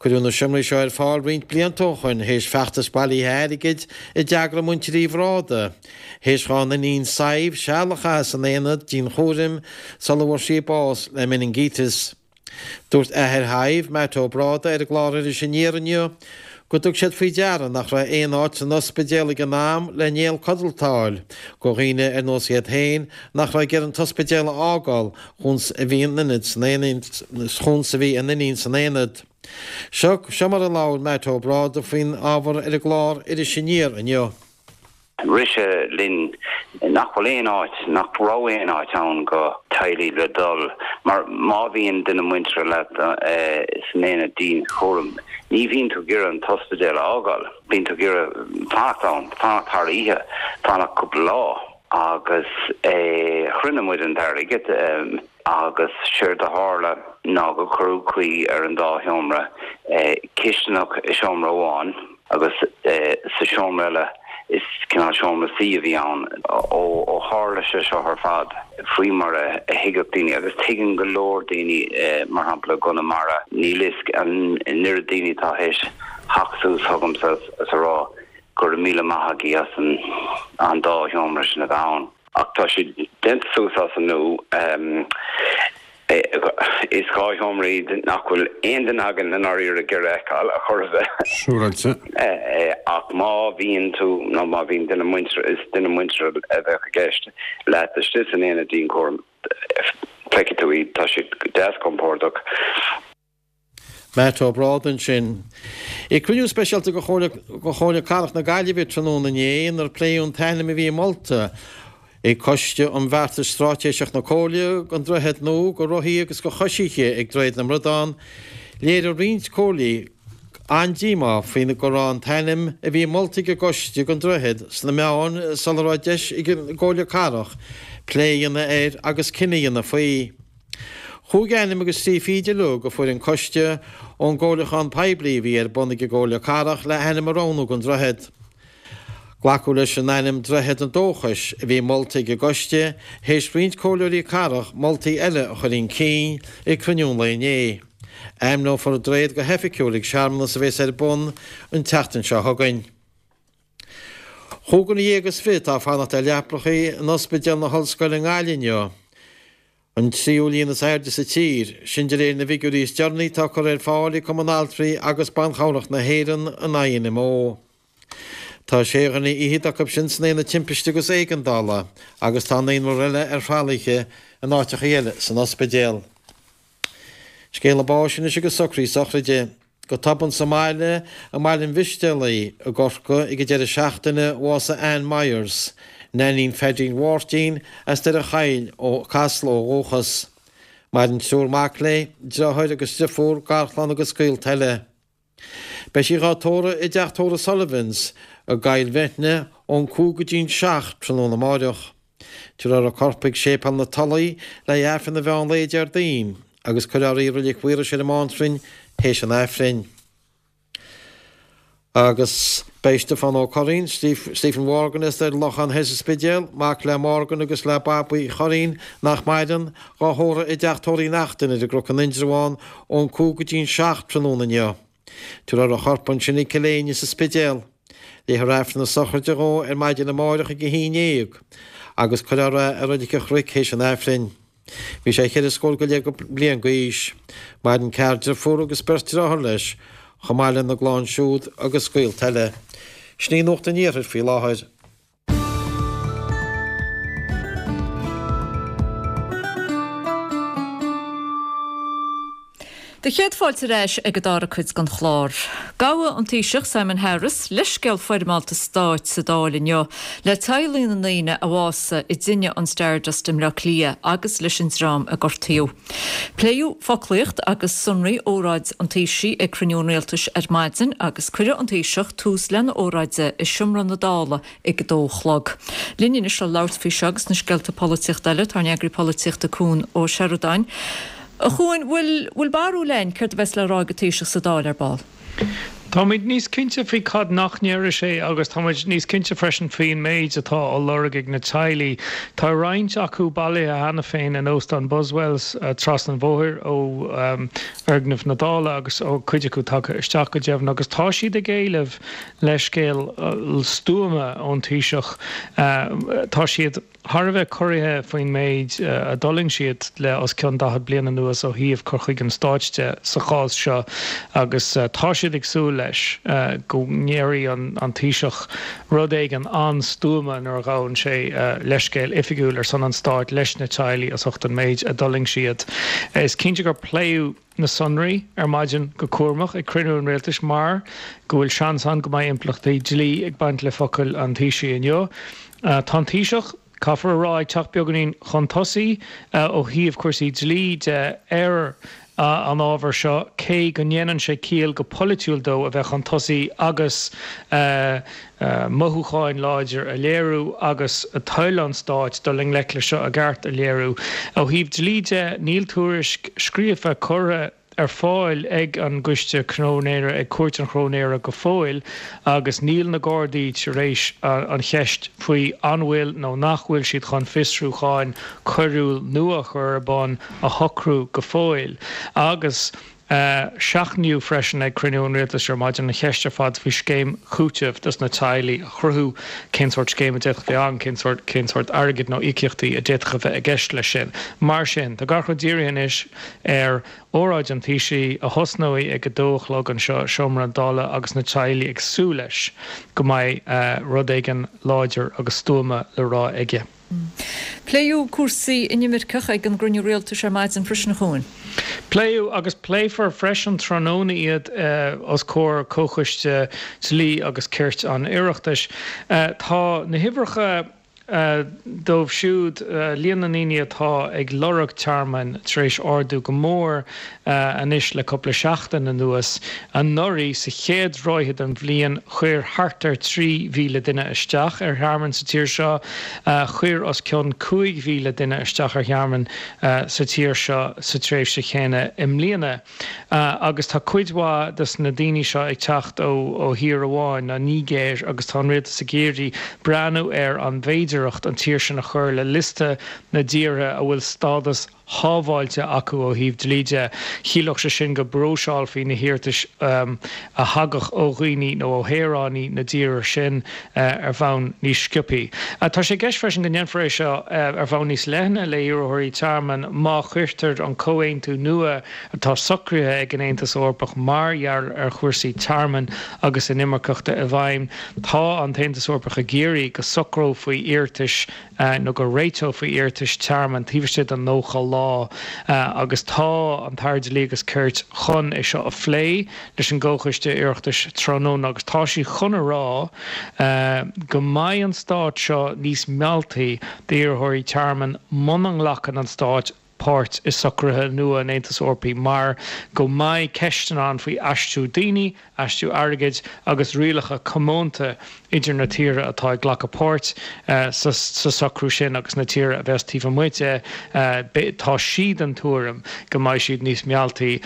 Cuireadh na seomraí seo ar fáil roinnt blianta ó shoin théis feachtas bailithe airgid a d'eagraigh muintir Uí Bhráda, théis dhá n-iníon Sadhbh seal a chaitheamh san aonad dianchúraim sula bhfuair sí bás le meiningíteas. Dúirt athair Shadhbh, Matt Ó Bráda, ar an gclár Iris Aniar inniu go dtug siad faoi deara nach raibh aon áit san ospidéal ag an am le néal codlata a fháil go dhaoine ar nós iad féin nach raibh ag iarraidh an t-ospidéal a fhágáil chúns a bhí a n-iníon chúns a bhí a n-iníon san aonad. Seo seo mar a labhair Matt Ó Bráda faoin ábhar ar an gclár Iris Aniar inniu. Rith sé linn nach bhfuil aon áit, nach raibh aon áit ann go teaghlaigh le dul mar má bhíonn duine muinteartha leat san aonad dianchúraim, ní bhíonn tú ag iarraidh an t-ospidéal a fhágáil, bíonn tú ag iarraidh fanacht ann, fanacht thar oíche, fanacht cúpla lá. Agus chruinnigh muid an t-airgead agus séard a tharla ná gur cuireadh caoi ar an dá sheomra, cisteanach i seomra amháin agus sa seomra eile is cineál seomra suí a bhí ann. Ó tharla sé seo ar fad, faoi mar a thuigfeadh daoine, agus tuigeann go leor daoine, mar shampla i gConamara, níl fhios an oiread daoine atá théis theacht suas chugamsa is a rá Go raibh míle maith agaibh as an dá sheomra sin a bheith ann. Ach tá siad déanta suas as an nua. Is 2 sheomra iad nach bhfuil aon duine againn i ndáiríre ag iarraidh a fheiceáil ar chor ar bith. Siúráilte. Ach má bhíonn tú, nó má bhíonn duine muinteartha, is duine muinteartha a bheadh i gceist, leat istigh san aonad dianchúraim, feicfidh tú iad, tá siad deas compordach. Matt Ó Bráda ansin. Ag cruinniú speisialta de Chomhairle Cathrach na Gaillimhe tráthnóna inné inar pléadh an t-ainm a bhí molta ag Coiste um Bheartas Straitéiseach na Comhairle don droichead nua do rothaí agus do choisithe ag Droichead na mBradán, léirigh roinnt comhairleoirí an-díomá faoi go raibh an t-ainm a bhí molta ag an gcoiste don droichead sna meáin sula raibh deis ag an gComhairle Cathrach plé a dhéanamh air agus cinneadh a dhéanamh faoi. Chúig ainm agus trí fichid uilig a fuair an coiste ón gcomhairliúchán poiblí a bhí ar bun ag an gComhairle Cathrach le hainm a roghnú don droichead. Glacadh leis an ainm Droichead an Dóchais a bhí molta ag an gcoiste théis roinnt comhairleoirí cathrach moltaí eile a chur chun cinn ag cruinniú an lae inné. Ainmneofar an droichead go hoifigiúil ag searmanas a bheas ar bun an tseachtain seo chugainn. Chúig dhuine dhéag is fiche atá ag fanacht ar leapacha in Ospidéal na hOllscoile i nGaillimh inniu. An tríú líon is airde sa tír, sin de réir na bhfigiúirí is deireanaí atá curtha ar fáil ag Cumann Altraí agus Ban Chabhrach na hÉireann, an INMO. Tá sé dhuine fhichead acu sin san Aonad Timpiste agus Éigeandála agus tá naonúr eile ar thralaithe in áiteacha eile san ospidéal. Scéala báis anois agus socruithe sochraide. Go tobann sa mbaile, i mBaile an Mhistéalaigh i gCorcaigh ag an deireadh seachtaine, bhásaigh Ann Myers, Neainín Phaidín Mháirtín as Doire Chaill ó Casla ó dhúchas. Maireann triúr mac léi, deartháir agus driofúr, garchlann agus gaolta eile. Beidh sí dhá tórramh i dteach tórraimh Sullivans i gCoill Bheithne ón 5 go dtí'n 7 tráthnóna amáireach. Tabharfar a corp chuig Séipéal na Tulaí le haghaidh Aifreann an mheán lae Déardaoin agus cuirfear í i Reilig Mhaorais ar an mBántrainn théis an Aifrinn. Agus beidh Stiofán Ó Curraoin, Stephen Mhorgan as an Lochán Thoir sa Spidéal, mac le Morgan agus le Babaí Uí Churraoin, nach maireann, dhá thórramh i dteach tórraimh Uí Neachtain ar an gCnoc in Indreabhán ón 5 go dtí'n 7 tráthnóna inniu. Tabharfar a chorp ansin ag Cill Éinne sa Spidéal. Léifear Aifreann na sochraide dhó ar maidin amáireach ag 11 agus cuirfear é i Reilig an Chnoic théis an Aifrinn. Bhí sé cheithre scór go leith bliain d'aois. Maireann ceathrar deirfiúr agus beirt deartháir leis, chomh maith lena gclann siúd agus gaolta eile. Sin í Nuacht an Iarthair faoi láthair. Do chéad fáilte ar ais ag an dara cuid den chlár. Gabhadh an Taoiseach Simon Harris, leithscéal foirmeálta stáit sa Dáil inniu le teaghlaigh na ndaoine a bhásaigh i dtine an Stardust i mBleá Cliath agus leis an dream a gortaíodh. Pléadh foclaíocht agus sonraí óráid an Taoisigh ag cruinniú an Rialtais ar maidin agus cuirfidh an Taoiseach tús lena óráid i Seomra na Dála ag a dó a chlog. Linn anois le labhairt faoi seo agus na scéalta polaitíochta eile, tá ár n-eagraí polaitíochta Cuan Ó Seireadáin. A Chuain, bhfuil, bhfuil barúil a'inn céard a bheas le rá ag an Taoiseach sa Dáil ar ball? Táimid níos cinnte faoi cad nach ndéarfaidh sé agus táimid níos cinnte freisin faoin méid atá á lorg ag na teaghlaigh. Tá roinnt acu bailithe cheana féin in Óstán Buswells trasna an bhóthair ó fhoirgneamh na Dála agus cuid acu tagtha isteach go deimhin agus tá siad ag éileamh leithscéal stuama ón Taoiseach. Tá siad thar a bheith corraithe faoin méid a d'fhulaing siad le os cionn 40 bliain anuas ó thaobh cur chuige an stáit de sa chás seo agus tá siad ag súil leis go ndéarfaidh an Taoiseach rud éigin an-stuama nuair a ghabhann sé leithscéal oifigiúil ar son an stáit leis na teaghlaigh as ucht an méid a d'fhulaing siad. Is cinnte gur pléadh na sonraí ar maidin go cúramach ag cruinniú an rialtais mar go bhfuil seans ann go mbeidh impleachtaí dlí ag baint le focail an Taoisigh inniu. Tá an Taoiseach, caithfear a rá, ag teacht beagáinín chun tosaigh ó thaobh cúrsaí dlí de ar an ábhar seo cé go ndéanann sé ciall go polaitiúil dó a bheith chun tosaigh agus mothúcháin láidir a léiriú agus toil an stáit dul i ngleic leis seo i gceart a léiriú. Ó thaobh dlí de, níl tuairisc scríofa curtha ar fáil ag an gCoiste Cróinéara, ag Cúirt an Chróinéara go fóill agus níl na Gardaí tar éis an cheist faoi an bhfuil nó nach bhfuil siad chun fiosrúcháin coiriúil nua a chur ar bun a shocrú go fóill. Agus. Seachnaíodh freisin ag cruinniú an Rialtais ar maidin an cheist ar fad faoi scéim chúitimh dos na teaghlaigh a chruthú, cén sórt scéim a d'fhéadfadh bheith ann, cén sórt, cén sórt airgid nó íocaíochtaí a d'fhéadfadh a bheith i gceist leis sin. Mar sin, tá gach rud dírithe anois ar óráid an Taoisigh a thosnóidh ag a dó a chlog anseo i Seomra na Dála agus na teaghlaigh ag súil leis go mbeidh rud éigin láidir agus stuama le rá aige. Pléadh cúrsaí inimirceach ag an gcruinniú rialtais ar maidin freisin, a Chuain. Pléadh agus pléifear freisin tráthnóna iad os comhair Comhchoiste Dlí agus Cirt an Oireachtais. Tá na huimhreacha dóibh siúd, líon na ndaoine atá ag lorg tearmainn tar éis ardú go mór anois le cúpla seachtain anuas. Anuraidh, sa chéad ráithe den bhliain, chuir thart ar 3,000 duine isteach ar thearmann sa tír seo. Chuir os cionn 5,000 duine isteach ar thearmann sa tír seo sa tréimhse chéanna i mbliana. Agus tá cuid mhaith de na daoine seo ag teacht ó thír amháin, an Nigéir, agus tá an rialtas ag iarraidh breathnú ar an bhféidearthacht an tír sin a chur le liosta na dtíortha a bhfuil stádas shábháilte acu ó thaobh dlí de. Chiallódh sé sin go bpróiseálfaí na hiarratais a thagadh ó dhaoine nó ó shaoránaigh na dtíortha sin ar bhonn níos sciobthaí. Tá sé i gceist freisin go ndéanfar é seo ar bhonn níos leithne le hiarrthóirí tearmainn má chuirtear an comhaontú nua atá socraithe ag an Aontas Eorpach mar gheall ar chúrsaí tearmainn agus inimirceachta i bhfeidhm. Tá an tAontas Eorpach ag iarraidh go socrófaí iarratais nó go réiteofaí iarratais tearmainn taobh istigh de 90 lá agus tá an tAire Dlí agus Cirt chun é seo a phlé leis an gComhchoiste Oireachtais tráthnóna agus tá sí chun a rá go mbeidh an stát seo níos mealltaí d'iarrthóirí tearmainn muna nglacann an stát. páirt i socruithe nua an Aontais Eorpaigh mar go mbeidh ceisteanna ann faoi aistriú daoine, aistriú airgid agus rialacha comónta idir na tíortha atá ag glacadh páirt sa socrú sin agus na tíortha a bheas taobh amuigh de. Tá sí den tuairim go mbeidh siad níos mealltaí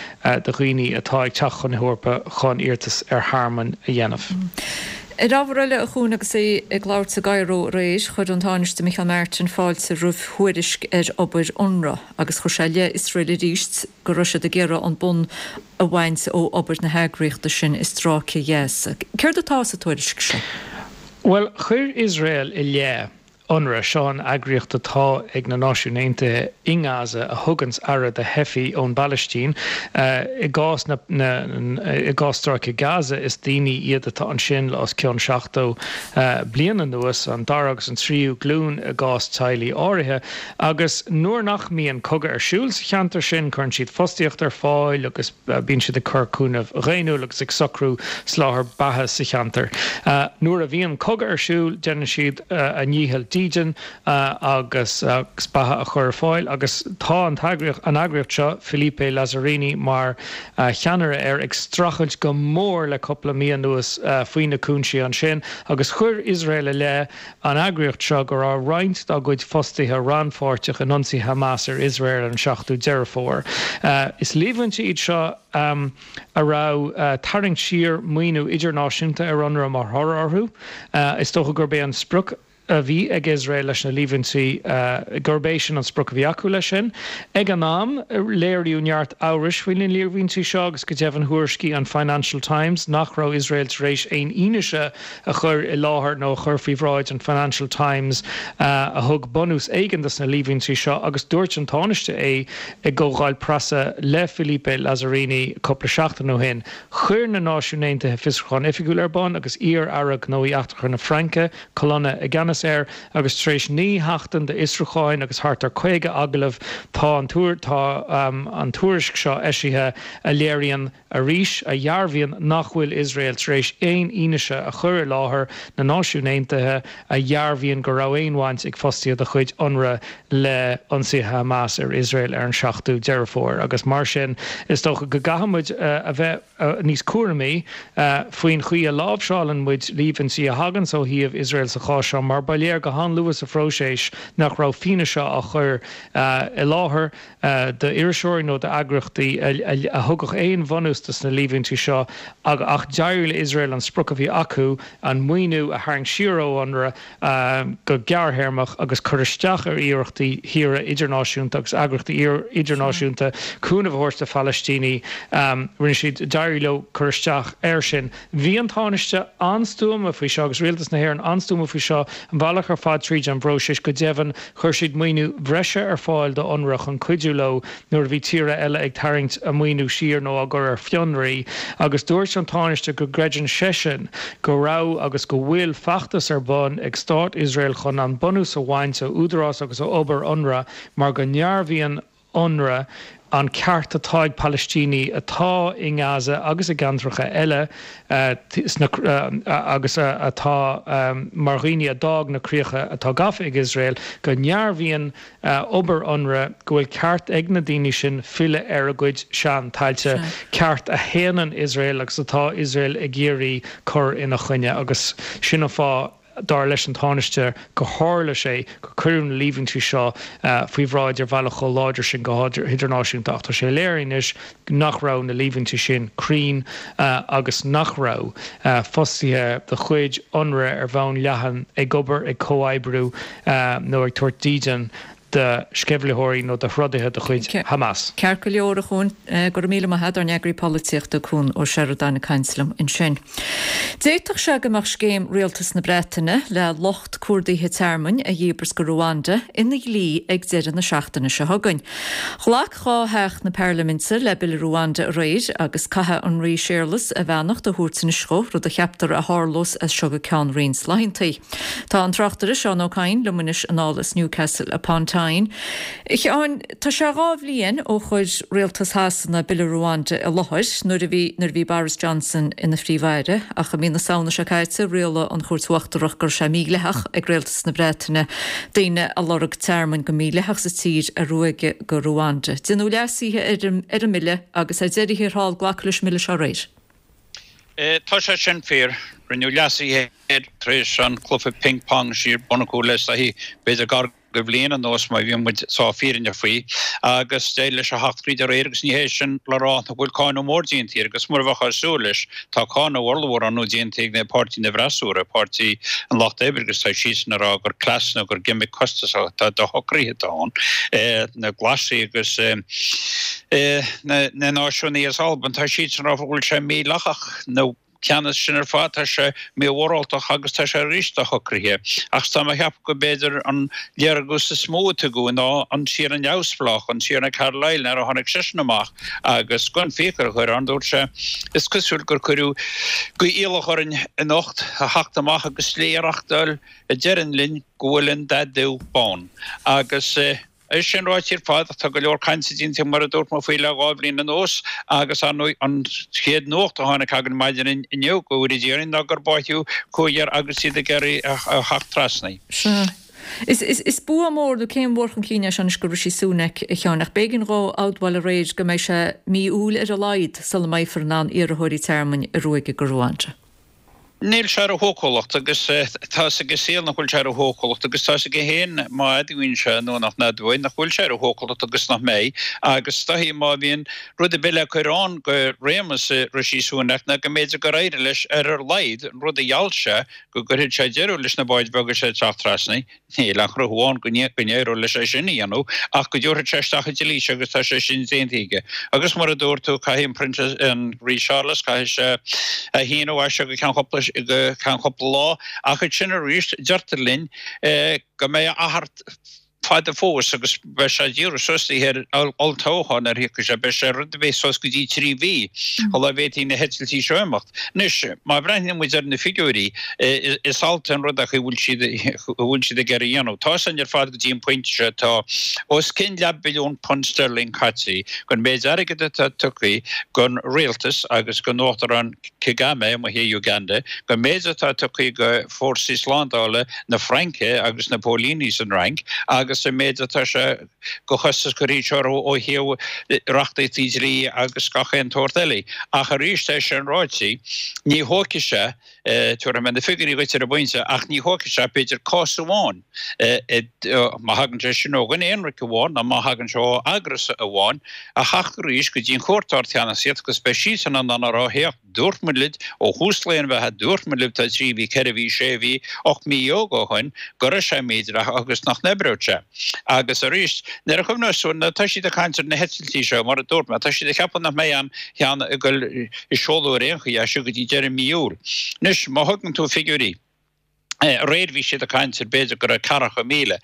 do dhaoine atá ag teacht chun na hEorpa chun iarratas ar thearmann a dhéanamh. Ar ábhar eile, a Chuain, agus é ag labhairt i gCairo aréir, chuir an Tánaiste Micheál Martin fáilte roimh thuairisc ar obair Unrwa agus chuir sé i leith Iosrael arís go raibh siad ag iarraidh an bonn a bhaint ó obair na heagraíochta sin i Stráice Ghaza. Céard atá sa tuairisc seo? Bhuel, chuir Iosrael i leith Unrwa, seo an eagraíocht atá ag na Náisiúin Aontaithe i nGaza a thuganns aire do theifigh ón bPalaistín. I gcás na, i gcás Stráice Gaza, is daoine iad atá ansin le os cionn 70 bliain anuas, an dara agus an tríú glúin i gcás teaghlaigh áirithe. Agus nuair nach mbíonn cogadh ar siúl sa cheantar sin, cuireann siad fostaíocht ar fáil agus. Bíonn siad ag cur cúnamh dhaonnúil agus ag socrú soláthar beatha sa cheantar. Nuair a bhíonn cogadh ar siúl, déanann siad a ndícheall dídean agus beatha a chur ar fáil agus tá an eagraíocht seo, Philippe Lazzarini mar cheannaire air, ag streachailt go mór le cúpla mí anuas faoi na cúinsí ansin agus chuir Iosrael i leith an eagraíocht seo go raibh roinnt dá gcuid fostaithe rannpháirteach in ionsaí Hamas ar Iosrael ar an 7ú Deireadh Fómhair. Is líomhaintí iad seo a raibh tarraingt siar maoiniú idirnáisiúnta ar Unrwa mar thoradh orthu. Is dócha gurb é an sprioc a bhí ag Iosrael leis na líomhaintí, gurb é sin an sprioc a bhí acu leis sin. Ag an am, léiríodh neart amhrais faoi na líomhaintí seo agus go deimhin thuairiscigh an Financial Times nach raibh Iosrael tar éis aon fhianaise a chur i láthair nó a chur faoi bhráid an Financial Times a thug bunús éigin dos na líomhaintí seo agus dúirt an Tánaiste é i gcomhdháil preasa le Philippe Lazzarini cúpla seachtain ó shin. Chuir na Náisiúin Aontaithe fiosrúchán oifigiúil ar bun agus iar-aire gnóthaí eachtracha na Fraince, Colonna, i gceannas air agus tar éis 9 sheachtain d'fhiosrúcháin agus thart ar 50 agallamh tá an tá an tuairisc seo eisithe a léiríonn arís, a dhearbhaíonn nach bhfuil Iosrael tar éis aon fhianaise a chur i láthair na Náisiún Aontaithe a dhearbhaíonn go raibh aon bhaint ag fostaithe de chuid Unrwa le ionsaithe Hamas ar Iosrael ar an 7ú Deireadh Fómhair agus mar sin is dócha go gcaithfidh muid a bheith níos cúramaí faoin chaoi a láimhseálann muid líomhaintí a thaganns ó thaobh Iosrael sa chás seo mar ba léir go han-luath sa phróiseas nach raibh fianaise á chur i láthair d'iriseoirí nó d'eagraíochtaí a thugadh aon bhunús dos na líomhaintí seo ach d'éirigh le Iosrael an sprioc a bhí acu, an maoiniú a tharraingt siar ó Unrwa go gearrthéarmach agus cur isteach ar iarrachtaí thíortha idirnáisiúnta agus eagraíochtaí idirnáisiúnta cúnamh a thabhairt do Phalaistínigh. Rinne siad, d'éirigh leo cur isteach air sin. Bhí an Tánaiste an-stuama faoi seo agus Rialtas na hÉireann an-stuama faoi seo an bealach ar fad tríd an bpróiseas. Go deimhin, chuir siad maoiniú breise ar fáil do Unrwa chun cuidiú leo nuair a bhí tíortha eile ag tarraingt a maoiniú siar nó á gcur ar fionraí. Agus dúirt an Tánaiste go gcreideann seisean go raibh agus go bhfuil feachtas ar bun ag Stát Iosrael chun an bunús a bhaint ó údarás agus ó obair Unrwa mar go ndearbhaíonn Unrwa an ceart atá ag Palaistínigh atá i nGaza agus i gceantracha eile sna agus atá mar dhaoine a d'fhág na críocha atá gafa ag Iosrael, go ndearbhaíonn obair Unrwa go bhfuil ceart ag na daoine sin filleadh ar a gcuid sean-tailte, ceart a shéanann Iosrael agus atá Iosrael ag iarraidh cur ina choinne agus sin an fáth dar leis an Tánaiste, gur tharla sé gur cuireadh na líomhaintí seo faoi bhráid ar bhealach chomh láidir sin go hidirnáisiúnta ach tá sé léir anois nach raibh na líomhaintí sin cruinn agus nach raibh fostaithe de chuid Unrwa ar bhonn leathan ag obair, ag comhoibriú nó ag tabhairt dídean do sceimhlitheoirí nó do throdaithe de chuid Hamas. Ceart go leor, a Chuain. Go raibh míle maith agat, ár n-eagraí polaitíochta, Cuan Ó Seireadáin ag caint liom ansin. D'fhéadfadh sé go mbeadh scéim Rialtas na Breataine le lucht cuardaithe tearmainn a dhíbirt go Ruanda ina dhlí ag deireadh na seachtaine seo chugainn. Ghlac 2 theach na Pairliminte le Bille Ruanda aréir agus caithfidh an Rí Séarlas a bheannacht a thabhairt anois dhó, rud a cheaptar a tharlós as seo go ceann roinnt laethanta. Tá an tráchtaire Seán Ó Cadhain liom anois anall as Newcastle upon Tyne. Sheáin. A Sheáin, tá sé 2 bhliain ó chuir Rialtas Shasana Bille Ruanda i láthair nuair a bhí nuair a bhí Boris Johnson ina Phríomh-Aire ach i mí na Samhna seo caite rialaigh an Chúirt Uachtarach go raibh sé mídhleathach ag Rialtas na Breataine daoine a lorg tearmainn go mídhleathach sa tír a ruaigeadh go Ruanda. Déanadh leasuithe ar an ar an mbille agus ar deireadh thiar thall glacadh leis an mbille seo aréir. Tá sé sin fíor. Rinneadh leasuithe air tar éis an cluiche ping pong a bhí ar bun acu le b'fhéidir gar go bhliain anuas má bhíonn muid sách fírinneach faoi, agus d'éirigh leis a theacht tríd aréir agus ní hé sin le rá nach bhfuil cáineadh mór déanta air agus mura mbeifeá ag súil leis, tá cáineadh ollmhór ar ndóigh déanta ag na páirtí na bhfreasúra, Páirtí an Lucht Oibre agus tá siadsan ag rá gur cleas nó gur gimic costasach atá doshocraithe atá ann, na Glasaigh agus na Náisiúnaigh as Albain, tá siadsan ag rá go bhfuil sé mídhleathach nó. Ceannas sin ar fad, tá sé mímhoráltach agus tá sé arís doshocraithe. Ach tá mé a cheapadh go b'fhéidir an léargas is mó a tugadh ná an Tiarna neamhspleách, an Tiarna Carlile, nuair a tháinig seisean amach agus gan fiacail a chur ann, dúirt sé, Is cosúil gur cuireadh iallach orainn anocht a theacht amach agus slí a reachtáil a deireann linn go bhfuil an dath dubh bán. Agus. É sin ráite ar fad, tá go leor cainte déanta mar a dúirt mé faoi le 2 bhliain anuas agus ar ndóigh an chéad nuacht a tháinig againn maidin inniu, go bhfóire Dia orainn, ná gur báitheadh cúigear agus iad ag iarraidh a theacht trasna. Sea. Is bua mór nó céim mhór chun cinn é seo anois do Rishi Sunak, a Sheáin, ach b'éigean dhó admháil aréir go mbeidh sé mí Iúil ar a laghad sula mbeifear in ann iarrthóirí tearmainn a ruaigeadh go Ruanda. Níl sé ar a shócúlacht agus tá 'fhios ag an saol nach bhfuil sé ar a shócúlacht agus tá 'fhios aige féin má admhaíonn sé nó nach n-admhaíonn nach bhfuil sé ar a shócúlacht agus nach mbeidh agus is dóichí má bhíonn rud ar bith le cur ann go réimeas Rishi Sunak ná go mb'fhéidir gur éirigh leis ar a laghad an rud a gheall sé go gcuirfeadh sé deireadh leis na báid bheaga seo ag teacht trasna Níl aon chruthú ann go n-éireodh leis é sin a dhéanamh ach go dtabharfadh sé isteach an dlí seo agus tá sé sin déanta aige. Agus mar a dúirt tú, caithfidh an Princess, an Rí Charles, caithfidh sé a shíniú as seo go ceann cúpla, go ceann cúpla lá. Ach ansin arís, deirtear linn go mbeidh a achar fada fós agus beidh sé ag díriú suas ar olltoghchán nuair a thiocfaidh sé, beidh sé rud ar bith suas go dtí 3 mhí sula bhféadfaidh na heitiltí seo imeacht. Anois, má bhreathnaíonn muid ar na figiúirí, is allta an rud é an chaoi a bhfuil siad, a bhfuil siad ag iarraidh a dhéanamh. Tá san ar fad go dtí an pointe seo, tá os cionn leathbhilliún punt sterling caite den méid airgid atá tugtha don rialtas agus don Uachtarán Kagame amuigh i Uganda, den méid atá tugtha do fórsaí slándála na Fraince agus na póilíní san Fhrainc agus an méid atá sé de chostas curtha orthu ó thaobh reachtaíochtaí dlí agus gach aon tsórt eile. Ach arís, é sin ráite, ní thógfaidh sé, tabharfaidh mé na figiúirí dhuit ar an bpointe, ach ní thógfaidh sé b'fhéidir cás amháin, má thagann sé sin ó dhuine aonraic amháin nó má thagann sé ó eagras amháin, a theacht arís go dtí an Chúirt Ard-Cheannasaíocht agus beidh siadsan in ann a rá, féach, Dúirt muid libh ó thús lae an bheatha, dúirt muid libh tá 3 mhí, 4 mhí, 6 mhí, 18 mí ó shoin, go raibh sé mídhleathach agus nach n-oibreodh sé. Agus arís, nuair a chuimhneos tú, nuair atá siad ag caint ar na heitiltí seo, mar a dúirt mé, tá siad ag ceapadh nach mbeidh aon cheann ag dul ag seoladh ar aon chaoi as seo go dtí deireadh mí Iúil. Anois, má thugann tú figiúirí, aréir bhí siad ag caint ar b'fhéidir go raibh 40,000,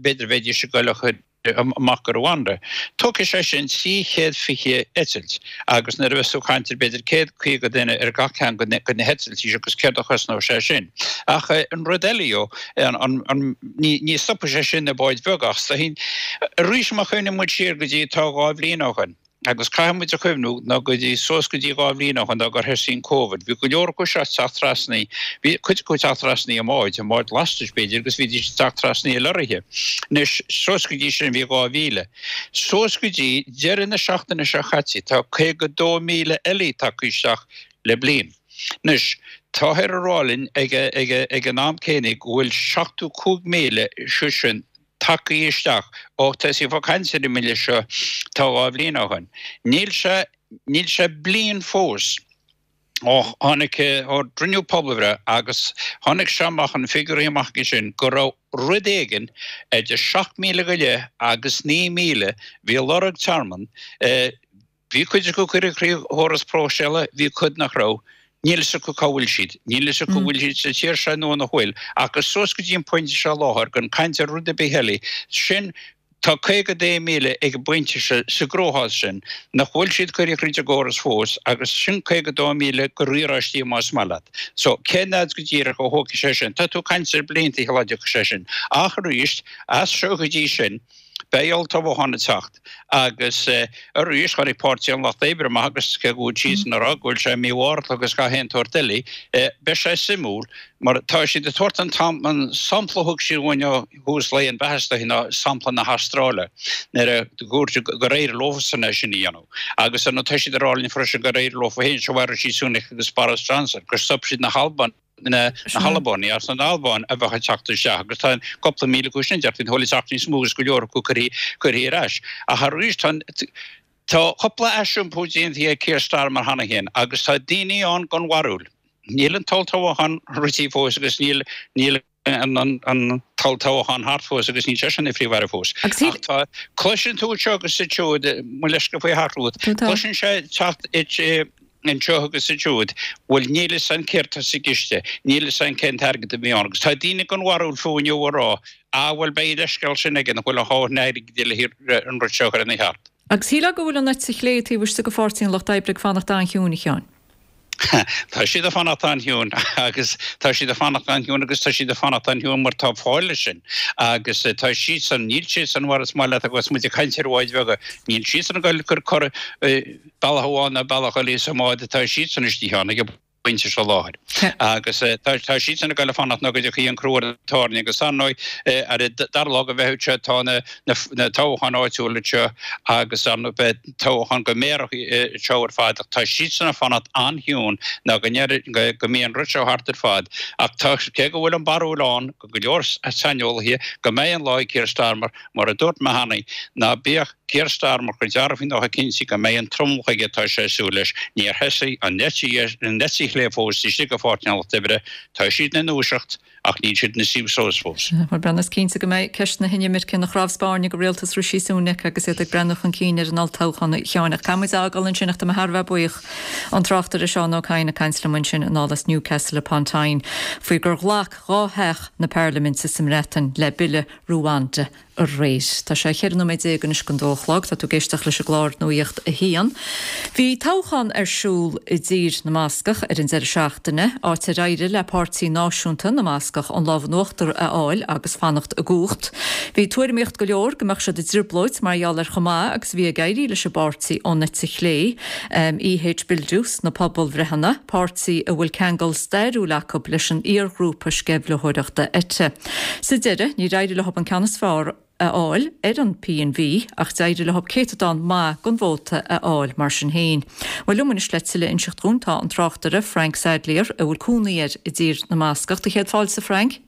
b'fhéidir bheidís ag dul a chur amach go Rwanda. Tógfaidh sé sin 320 eitilt agus nuair a bheas tú ag caint ar b'fhéidir 150 duine ar gach ceann de na heitiltí seo agus céard a chosnóidh sé sin. Ach an rud eile dhó, ní stopfaidh sé sin na báid bheaga ach arís má chuimhníonn muid siar go dtí tá 2 bhliain ó shoin, Agus caithfidh muid a chuimhniú ná go dtí suas go dtí 2 bhliain ó shoin ná gur thosaigh an Covid, bhí go leor acu seo ag teacht trasna, bhí cuid acu ag teacht trasna i mbáid, i mbáid lastais b'fhéidir, agus bhídís ag teacht trasna i lorraithe. Anois, suas go dtí sin bhí 2,000. Suas go dtí deireadh na seachtaine seo caite tá 52,000 eile tagtha isteach le bliain. Anois, táthar a rá linn ag, ag, ag an am céanna go bhfuil 75,000 sin tagtha isteach ó tosaíodh ag caint ar an mbille seo tá 2 bhliain ó shoin. Níl sé, níl sé bliain fós ó tháinig, ó rinneadh pobalbhreith agus tháinig sé amach, an figiúirí amach aige sin, go raibh rud éigin idir 7,000 go leith agus 9,000 a bhí ag lorg tearmann, Bhí cuid acu curtha trí chóras próiseála, bhí cuid nach raibh. Níl fhios acu cá bhfuil siad. Níl fhios acu an bhfuil siad sa tír seo nó nach bhfuil. Agus suas go dtí an pointe seo i láthair, gan caint ar rud ar bith eile, sin. Tá 52,000 ag an bpointe seo sa gcruachás sin nach bhfuil siad curtha thríd an gcóras fós agus sin 52,000 de riaráistí más maith leat. So, cén fhad go díreach a thógfaidh sé sin? Tá tú ag caint ar blianta shula dtiocfaidh sé sin. Ach arís, as seo go dtí sin, beidh olltoghchán ag teacht agus arís tháinig Páirtí an Lucht Oibre amach agus cé go bhfuil siadsan ag rá go bhfuil sé mímhorálta agus gach aon tsórt eile, beidh sé suimiúil mar tá siad ag tabhairt an sampla a thug siad uainn ó thús lae an bheatha ná sampla na hAstráile nuair a dúirt gur éirigh leofasan é sin a dhéanamh agus ar ndóigh tá siad ag rá linn freisin gur éirigh leofa féin seo Rishi Sunak agus Boris Johnson gur stop siad na hAlban na hAlbánaigh as an Albáin a bheadh ag teacht isteach agus tá cúpla míle acu sin deirtear ag teacht níos mó agus go leor acu curtha ar ais. Ach arís tá tá cúpla aisiompú déanta ag Keir Starmer cheana féin agus tá daoine ann den bharúil níl an t-olltoghchán rite fós agus níl níl an t-olltoghchán thart fós agus níl seisean ina Phríomh-Aire fós. Ach tá, cloiseann tú anseo agus ansiúd, mo leithscéal faoi athrú, cloiseann sé teacht anseo agus ansiúd, bhuel níl fhios a'inn céard tá sa gciste, níl fhios a'inn cén t-airgead a bhí ann. Agus tá daoine den bharúil fiú inniu ag rá, ah bhuel beidh an leithscéal sin aige nach bhfuil a dhóthain airgid le an rud seo a chur ina cheart. Agus shílfeá go bhfuil an eite chlé taobh istigh de Pháirtí an Lucht Oibre ag fanacht an-chiúin, a Sheáin. Tá siad ag fanacht an-chiúin agus tá siad ag fanacht an-chiúin agus tá siad ag fanacht an-chiúin mar tá fáth leis sin agus tá siadsan, níl siadsan mar is maith leat agus muid ag caint ar bháid bheaga, níl siadsan ag dul ag cur cor bealach amháin ná bealach eile sa mbád atá siadsan istigh ann ag an bpointe seo láthair. Agus tá siadsan ag dul ag fanacht nó go dtiocfaidh an crú ar an tairne agus ar ndóigh ar an dara lá de Mheitheamh seo tá na toghcháin áitiúla anseo agus ar ndóigh beidh toghchán do mhéaracha anseo ar fad ach tá siadsan ag fanacht an-chiúin ná go ndeireadh go mbíonn an rud seo thart ar fad. Ach tá, cé go bhfuil an barúil ann go go leor saineolaithe go mbeidh an lá ag Keir Starmer, mar a dúirt mé cheana, ná bíodh Keir Starmer chomh dearfa nó chomh cinnte go mbeidh an tromlach aige atá sé ag súil leis, níor thosaigh an eite chlé fós istigh i bPáirtí an Lucht Oibre, tá siad ina ndúiseacht. Ach níl siad ina suí suas fós. Bhuel, Breandán, is cinnte go mbeidh ceist na hinimirce ina chnámh spairne do rialtas Rishi Sunak agus iad ag breathnú chun cinn ar an olltoghchán, a Sheáin. Ach caithfidh muid é a fhágáil ansin ach tá mé thar a bheith buíoch an tráchtaire Seán Ó Cadhain ag caint liom ansin anall as Newcastle upon Tyne faoi gur ghlac dha theach na Parlaiminte sa mBreatain le bille Ruanda aréir. Tá sé 14 nóiméad anois don dó a chlog. Tá tú ag éisteacht leis an gclár Nuacht a hAon. Bhí toghchán ar siúl i dTír na mBascach ar an deireadh seachtaine, áit ar éirigh le Páirtí Náisiúnta na mBascach an lámh in uachtar a fháil agus fanacht i gcumhacht. Bhí tuairimíocht go leor go mbeadh siad i dtrioblóid mar gheall ar chomh maith agus a bhí ag éirí leis an bpáirtí ón eite chlé, EH Bildu, sna pobalbhreitheanna, páirtí a bhfuil ceangal stairiúil acu leis an iarghrúpa sceimhlitheoireachta ETA. Sa deireadh, níor éirigh leo an ceann is fearr a fháil ar an PNV ach d'éirigh leo céatadán maith den vóta a fháil mar sin féin. Bhuel, liom anois le tuilleadh a inseacht dhúinn tá an tráchtaire Frank Sadlier, a bhfuil cónaí air i dTír na mBascach. Do chéad fáilte, Frank.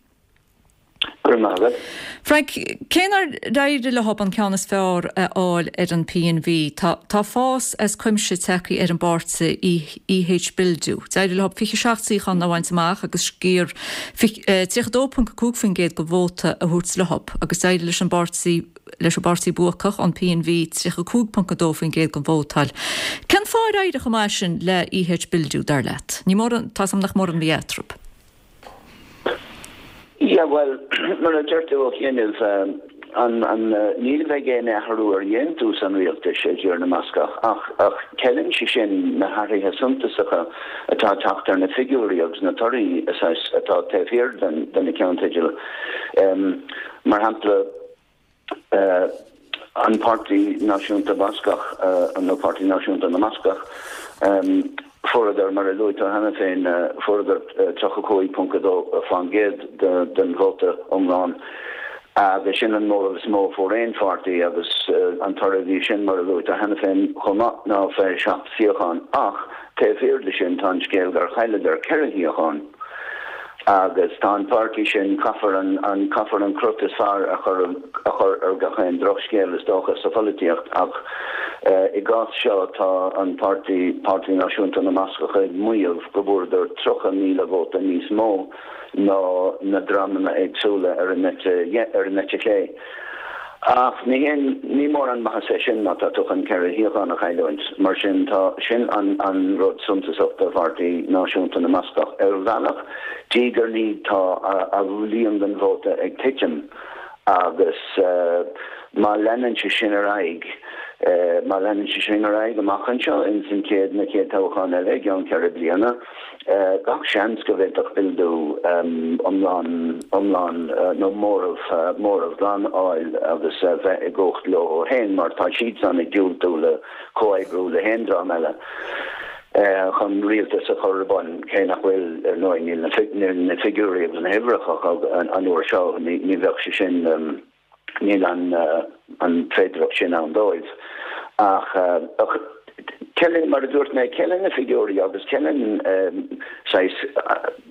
Go raibh maith agat. Frank, cé nár éirigh leo an ceann is fearr a fháil ar an PNV, tá tá fás as cuimse tagtha ar an bpáirtí EH Bildu. D'éirigh leo 27 suíochán a bhaint amach agus sciar 32.5% den vóta a thabhairt leo agus d'éirigh leis an bpáirtí leis an bpáirtí buacach, an PNV, 35.2% den vóta a fháil. Cén fáth ar éirigh chomh maith sin le EH Bildu, dar leat? Ní mórán, tá's agam nach mórán a bhí eatarthu. Yeah, bhuel, mar a deir tú ó chianaibh, an, an, ní bheidh aon athrú ar dhéantús an rialtais i dTír na mBascach ach, ach ceileann sé sin na hathruithe suntasacha atá ag teacht ar na figiúirí agus na torthaí saghas atá taobh thiar den, de na ceannteidil. Mar shampla, an Páirtí Náisiúnta Bascach, nó Páirtí Náisiúnta na mBascach, fuaireadar, mar a luaigh tú cheana féin, fuaireadar 35.2% den vóta iomlán agus sin an móramh is mó a fuair aon pháirtí agus an toradh a bhí sin, mar a luaigh tú cheana féin chomh maith, ná 27 suíochán. Ach taobh thiar de sin tá an scéal gur chailleadar 4 shuíochán. Agus tá an páirtí sin, caithfear an, caithfear an crot is fearr a chur, a chur ar gach aon drochscéal is dócha sa pholaitíocht ach i gcás seo tá an páirtí, Páirtí Náisiúnta na mBascach ag maíomh go bhfuaireadar 30,000 vóta níos mó ná na dreamanna éagsúla ar an eite, ar an eite chlé. Ach ní haon, ní mórán maitheas é sin má tá tú chun 4 shuíochán a chailliúint. Mar sin tá, sin an an rud suntasach do Pháirtí Náisiúnta na mBascach. Ar bhealach, diaidh ar ndiaidh tá a líon den vóta ag titim agus. Má leanann sé sin ar aghaidh, má leanann sé sin ar aghaidh amach anseo ins an chéad, na chéad toghchán eile i gceann 4 bliana, gach seans go bhféadfadh Bildu iomlán, iomlán nó móramh, móramh glan a fháil agus a bheith i gcumhacht leo féin mar tá siadsan ag diúltú le comhoibriú le haon dream eile chun rialtas a chur ar bun, cé nach bhfuil, ar ndóigh, níl na figiúirí agus na huimhreacha acu an uair seo, ní bheadh sé sin. Níl an féidearthacht sin ann dóibh. Ach ceileann, mar a dúirt mé, ceileann na figiúirí agus ceileann saghas,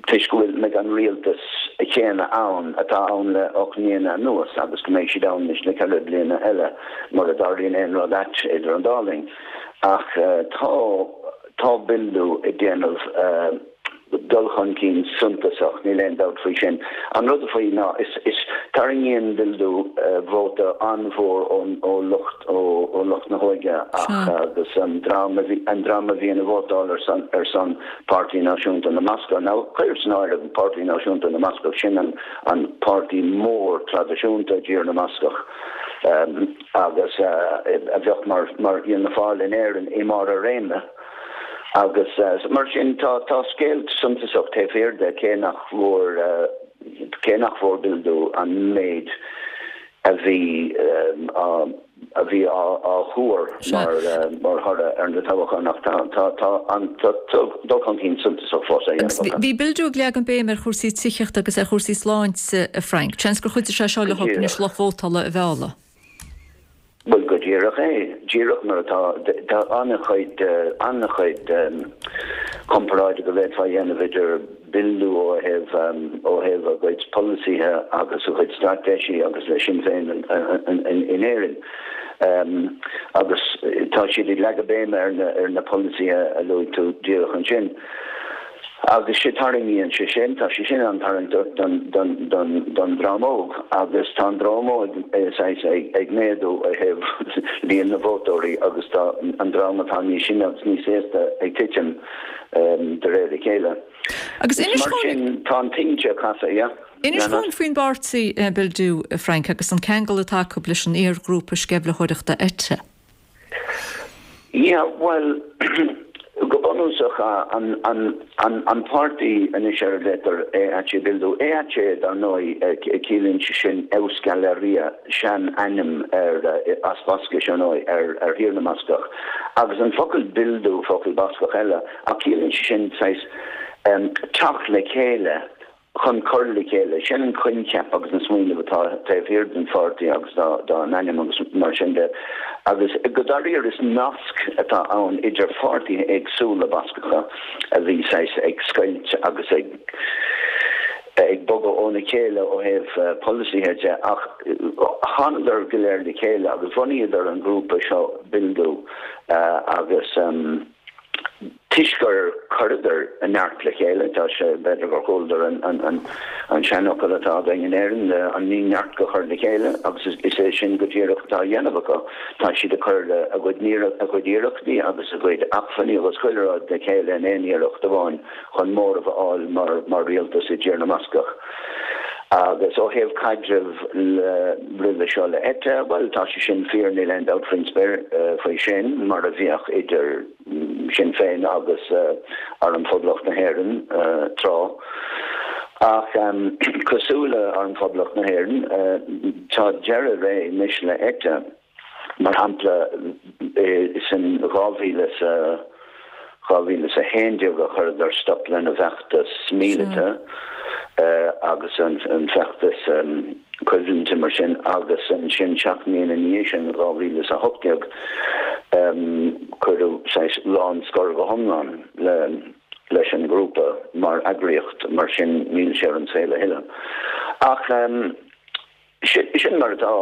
toisc go bhfuil, mbeidh an rialtas chéanna ann atá ann le 8 mbliana anuas agus go mbeidh siad ann anois le 4 bliana eile mura dtarlaíonn aon rud ait idir an dá linn. Ach tá, tá Bildu ag déanamh. dul chun cinn suntasach, níl aon dabht faoi sin. An rud faoi ná is, is, tarraingíonn Bildu vóta an-mhór ón, ó lucht, ó, ó lucht na hóige ach, agus an dream a bhí, an dream a bhíonn ag vótáil ar son, ar son Páirtí Náisiúnta na mBascach. Now, cuir san áireamh Páirtí Náisiúnta na mBascach, sin an, an páirtí mór traidisiúnta i dTír na mBascach agus a bheadh mar, mar Fhianna Fáil in Éirinn i mbarr a réime. Agus mar sin tá tá scéal suntasach taobh thiar de cé nach bhfuair cé nach bhfuair Bildu an méid a bhí á a bhí á á thuar mar mar thoradh ar na toghcháin ach tá tá tá an tá dul chun cinn suntasach fós á dhéanamh acu. Bhí Bildu ag leagan béim ar chúrsaí tithíochta agus ar chúrsaí sláinte, a Frank. Seans gur chuidigh sé seo leo anois lucht vótála a mhealladh. Bhuel, go díreach é. Díreach mar atá. Tá an-chuid, an-chuid comparáide go bhféadfá a dhéanamh idir Bildu ó thaobh, ó thaobh a gcuid polasaithe agus a gcuid straitéisí agus le Sinn Féin in Éirinn. Agus tá siad ag leagadh béime ar na, ar na polasaithe a luaigh tú díreach ansin. Agus sé tarraingíonn sé sin, tá sé sin an-tarraingteach don dream óg agus tá an dream óg saghas ag méadú ó thaobh líon na vótóirí agus tá an dream atá níos sine agus níos aosta ag titim de réir a chéile. Agus inis Mar sin tá an tinte ag casadh, yeah. Inis dúinn faoin bpáirtí Bildu, Frank, agus an ceangal atá acu leis an iar-ghrúpa sceimhlitheoireachta ETA. Yeah, bhuel, go bunúsach, an páirtí anois ar a ghlaotar EH Bildu, EH dar ndóigh, ciallaíonn sé sin Euskal Herria, sean-ainm ar, as Bascais ar ndóigh, ar Thír na mBascach, agus an focal Bildu, focal Bascach eile, ach ciallaíonn sé sin saghas teacht le chéile, chun cur le chéile. Sin an coincheap agus an smaoineamh atá taobh thiar den pháirtí agus dá n-ainm agus mar sin de. Agus go dáiríre is nasc atá ann idir pháirtithe éagsúla Bascacha a bhí saghas ag scoilt agus ag ag bogadh óna chéile ó thaobh polasaithe de ach thánadar go léir le chéile agus bhunaíodar an grúpa seo Bildu agus Toisc gur chuireadar a neart le chéile, tá sé, b'fhéidir gur chualadar an seanfhocal atá againn in Éirinn, an ní neart go cur le chéile, agus is é sin go díreach atá á dhéanamh acu. Tá siad ag cur a gcuid a gcuid iarrachtaí agus a gcuid acmhainní agus chuile rud le chéile in aon iarracht amháin chun móramh a fháil mar rialtas i dTír na mBascach. Agus ó thaobh caidrimh le roimhe seo le ETA, bhuel, tá sé sin fíor, níl aon dabht faoin spéir faoi sin, mar a bhíodh idir Sinn Féin agus Arm Phoblacht na hÉireann tráth. Ach cosúil le Arm Phoblacht na hÉireann, tá deireadh ré anois le ETA. Mar shampla, is in 2011 a chuireadar stop lena bhfeachtas míleata agus an feachtas coimhlinte mar sin agus ansin seacht mbliana ina dhiaidh sin, 2018, cuireadh saghas lánscor go hiomlán leis an ngrúpa mar eagraíocht, mar sin níl sé ar an saol a thuilleadh. Ach sin mar atá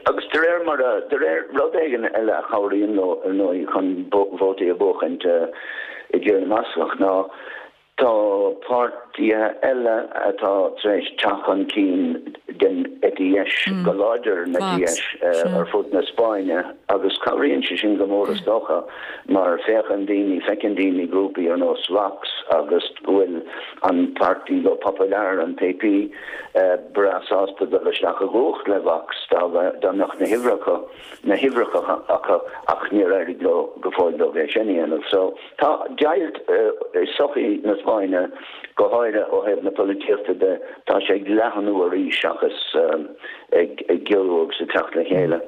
agus de réir mar a, de réir rud éigin eile a chabhraíonn leo ar ndóigh chun vótaí a bhuachaint i dTír na mBascach ná Tá páirtithe eile atá tar éis teacht chun cinn. den eite dheis, go láidir an eite dheis ar fud na Spáinne agus cabhraíonn sé sin go mór is dócha mar féachann daoine, feiceann daoine grúpaí ar nós Vox agus go bhfuil an Partido Popular, an PP, breá sásta dul isteach i gcumhacht le Vox dá mbeadh na huimhreacha na huimhreacha acu ach níor éirigh leo go fóill dóibh é sin a dhéanamh. So tá deighilt i sochaí na Spáinne, go háirithe ó thaobh na polaitíochta de, tá sé ag leathnú arís seachas ag giorrú agus ag teacht le chéile.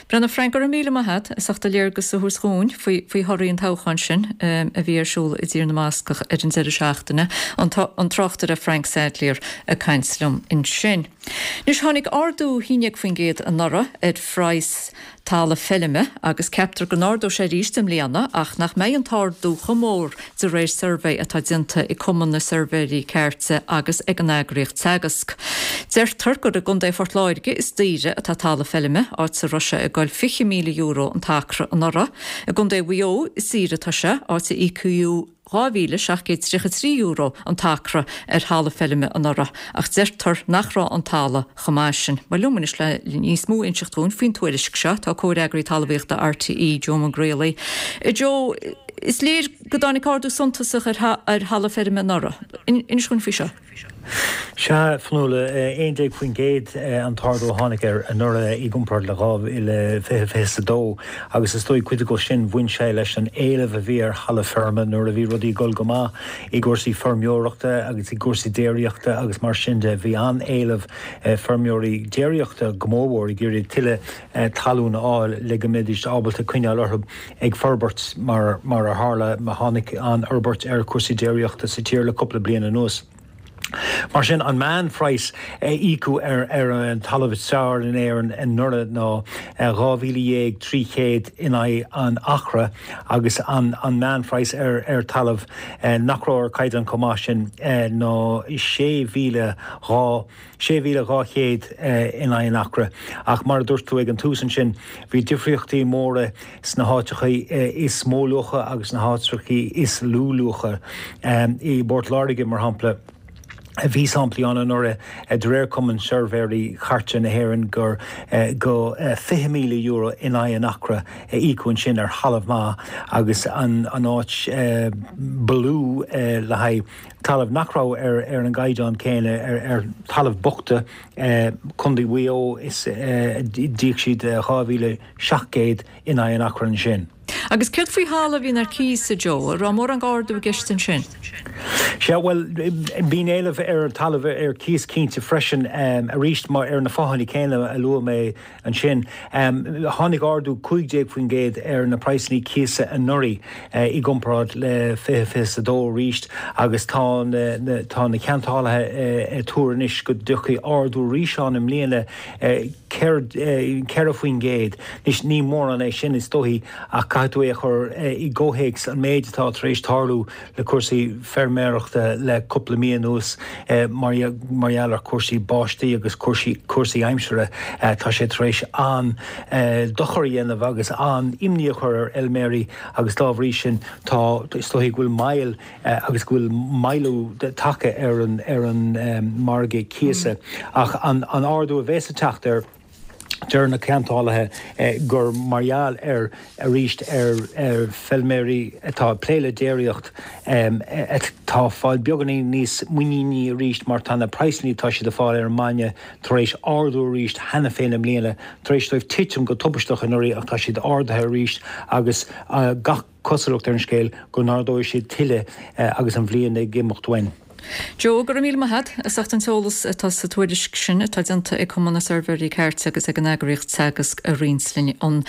Bhuel a Frank, go raibh míle maith a't as ucht do léargas a thabhairt dhúinn faoi faoi thorthaí an toghcháin sin a bhí ar siúl i dTír na mBascach ar an deireadh seachtaine. An tráchtaire Frank Sadlier ag caint liom ansin. Anois, tháinig ardú 11% anuraidh ar phraghas talamh feilme agus ceaptar go n-ardóidh sé arís i mbliana ach nach mbeidh an t-ardú chomh mór de réir suirbhé atá déanta ag Cumann na Suirbhéirí Cairte agus ag an eagraíocht Teagasc. Deirtear gur i gContae Phort Láirge is daoire atá talamh feilme, áit a raibh sé ag goil €20,000 an t-acra anuraidh. I gContae Mhaigh Eo is saoire atá sé, áit a íocadh €2,733 an t-acra ar thalamh feilme anuraidh, ach deirtear nach raibh an talamh chomh maith sin. Bhuel, liom anois le níos mó a inseacht dhúinn faoin tuairisc seo, tá comhfhreagraí talmhaíochta RTÉ, Joe Mac Grealaigh. A Joe, is léir go dtáinig ardú suntasach ar thalamh feirme anuraidh. Inis dhúinn faoi seo. Sea, Fionnuala, 11% an t-ardú a tháinig air anuraidh i gcomparáid le 2022 agus is dóigh cuid acu sin bhain sé leis an éileamh a bhí ar thalamh feirme nuair a bhí rudaí ag dul go maith i gcúrsaí feirmeoireachta agus i gcúrsaí déiríochta agus mar sin de. Bhí an-éileamh feirmeoirí déiríochta go mórmhór ag iarraidh tuilleadh talún a fháil le go mbeidís ábalta coinneáil orthu ag forbairt mar mar a tharla tháinig an-fhorbairt ar chúrsaí déiríochta sa tír le cúpla bliain anuas. Mar sin, an meánphraghas a íocadh ar ar an talamh is fearr in Éirinn anuraidh ná 12,300 in aghaidh an acra agus an an meánphraghas ar ar talamh nach raibh ar caighdeán chomh maith sin ná 6,200 6,200 in aghaidh an acra. Ach mar a dúirt tú ag an tús ansin, bhí difríochtaí móra sna háiteacha is mó luacha agus sna háiteacha is lú luacha. I bPort Láirge, mar shampla, bhí samplaí ann anuraidh, de réir Cumann Suirbhéirí Cairte na hÉireann, gur go €20,000 in aghaidh an acra a íocadh ansin ar thalamh maith agus an áit ba lú le haghaidh talamh nach raibh ar an gcaighdeán céanna, ar thalamh bochta, Contae Mhaigh Eo, is d'íoc siad 2,700 in aghaidh an acra ansin. Agus céard faoi thalamh a bhíonn ar cíos, a Joe? An raibh mórán ardú i gceist ansin? Sea, bhuel, bíonn éileamh ar thalamh ar cíos cinnte freisin, arís, mar ar na fáthanna céanna a luaigh mé Ansin, tháinig ardú 15% ar na praghsanna cíosa anuraidh i gcomparáid le 2022 arís agus tá na tá na ceantálaithe ag tuar anois go dtiocfaidh ardú arís ann i mbliana 4%. Anois, ní mórán é sin is dóichí ach caithfidh tú é a chur i gcomhthéacs an méid atá tar éis tarlú le cúrsaí feirmeoireachta le cúpla mí anuas mar gheall ar chúrsaí báistí agus cúrsaí aimsire. Tá sé tar éis an-dochar a dhéanamh agus an-imní a chur ar fheilméaraí agus dá bhrí sin tá, is dóichí go bhfuil moill agus go bhfuil moilliú tagtha ar an margadh cíosa. Ach an ardú a bhéas ag teacht air, Deir na ceantálaithe gur mar gheall ar, arís, ar feilméaraí atá ag plé le déiríocht atá ag fáil beagáinín níos muiníní arís mar tá na praghsanna atá siad ag fáil ar an mbainne tar éis ardú arís cheana féin i mbliana, tar éis dóibh titim go tubaisteach anuraidh ach tá siad ardaithe arís agus gach cosúlacht ar an scéal go n-ardóidh siad tuilleadh agus an bhliain ag imeacht uainn. Joe, go raibh míle maith a't as ucht an t-eolas atá sa tuairisc sin atá déanta ag Cumann na Suirbhéirí Cairte agus ag an eagraíocht Teagasc a roinnt linn. An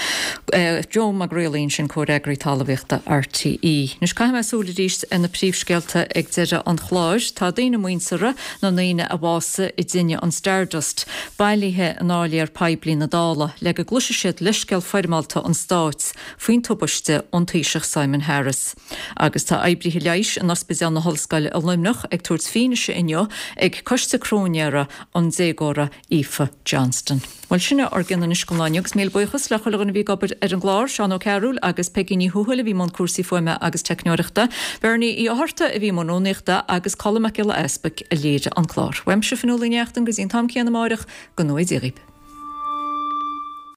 Joe Mac Grealaigh ansin, Comhfhreagraí Talmhaíochta RTÉ. Anois caithfidh mé súil arís ar na príomhscéalta ag deireadh an chláir. Tá daoine muinteartha na ndaoine a bhásaigh i dtine an Stardust bailithe in áiléar poiblí na Dála le go gcloisfidh siad leithscéal foirmeálta an Stáit faoin tubaiste ón Taoiseach Simon Harris. Agus tá oibrithe leighis in Ospidéal na hOllscoile i Luimneach ag. ag tabhairt fianaise inniu ag Coiste Cróinéara an déagóra Aoife Johnston. Bhuel, sin é ár gcion anois don lá inniu agus míle buíochas le chuile dhuine a bhí ag obair ar an gclár, Seán Ó Cearúil agus Peigí Ní Thuathail a bhí i mbun cúrsaí fuaime agus teicneoireachta, Bernie Uí Fhátharta a bhí i mbun rúnaíochta agus Colm Mac Giolla Easpaig a léirigh an clár. Uaimse, Fionnuala Ní Neachtain, go dtí an t-am céanna amáireach, go ngnóthaí Dia dhaoibh.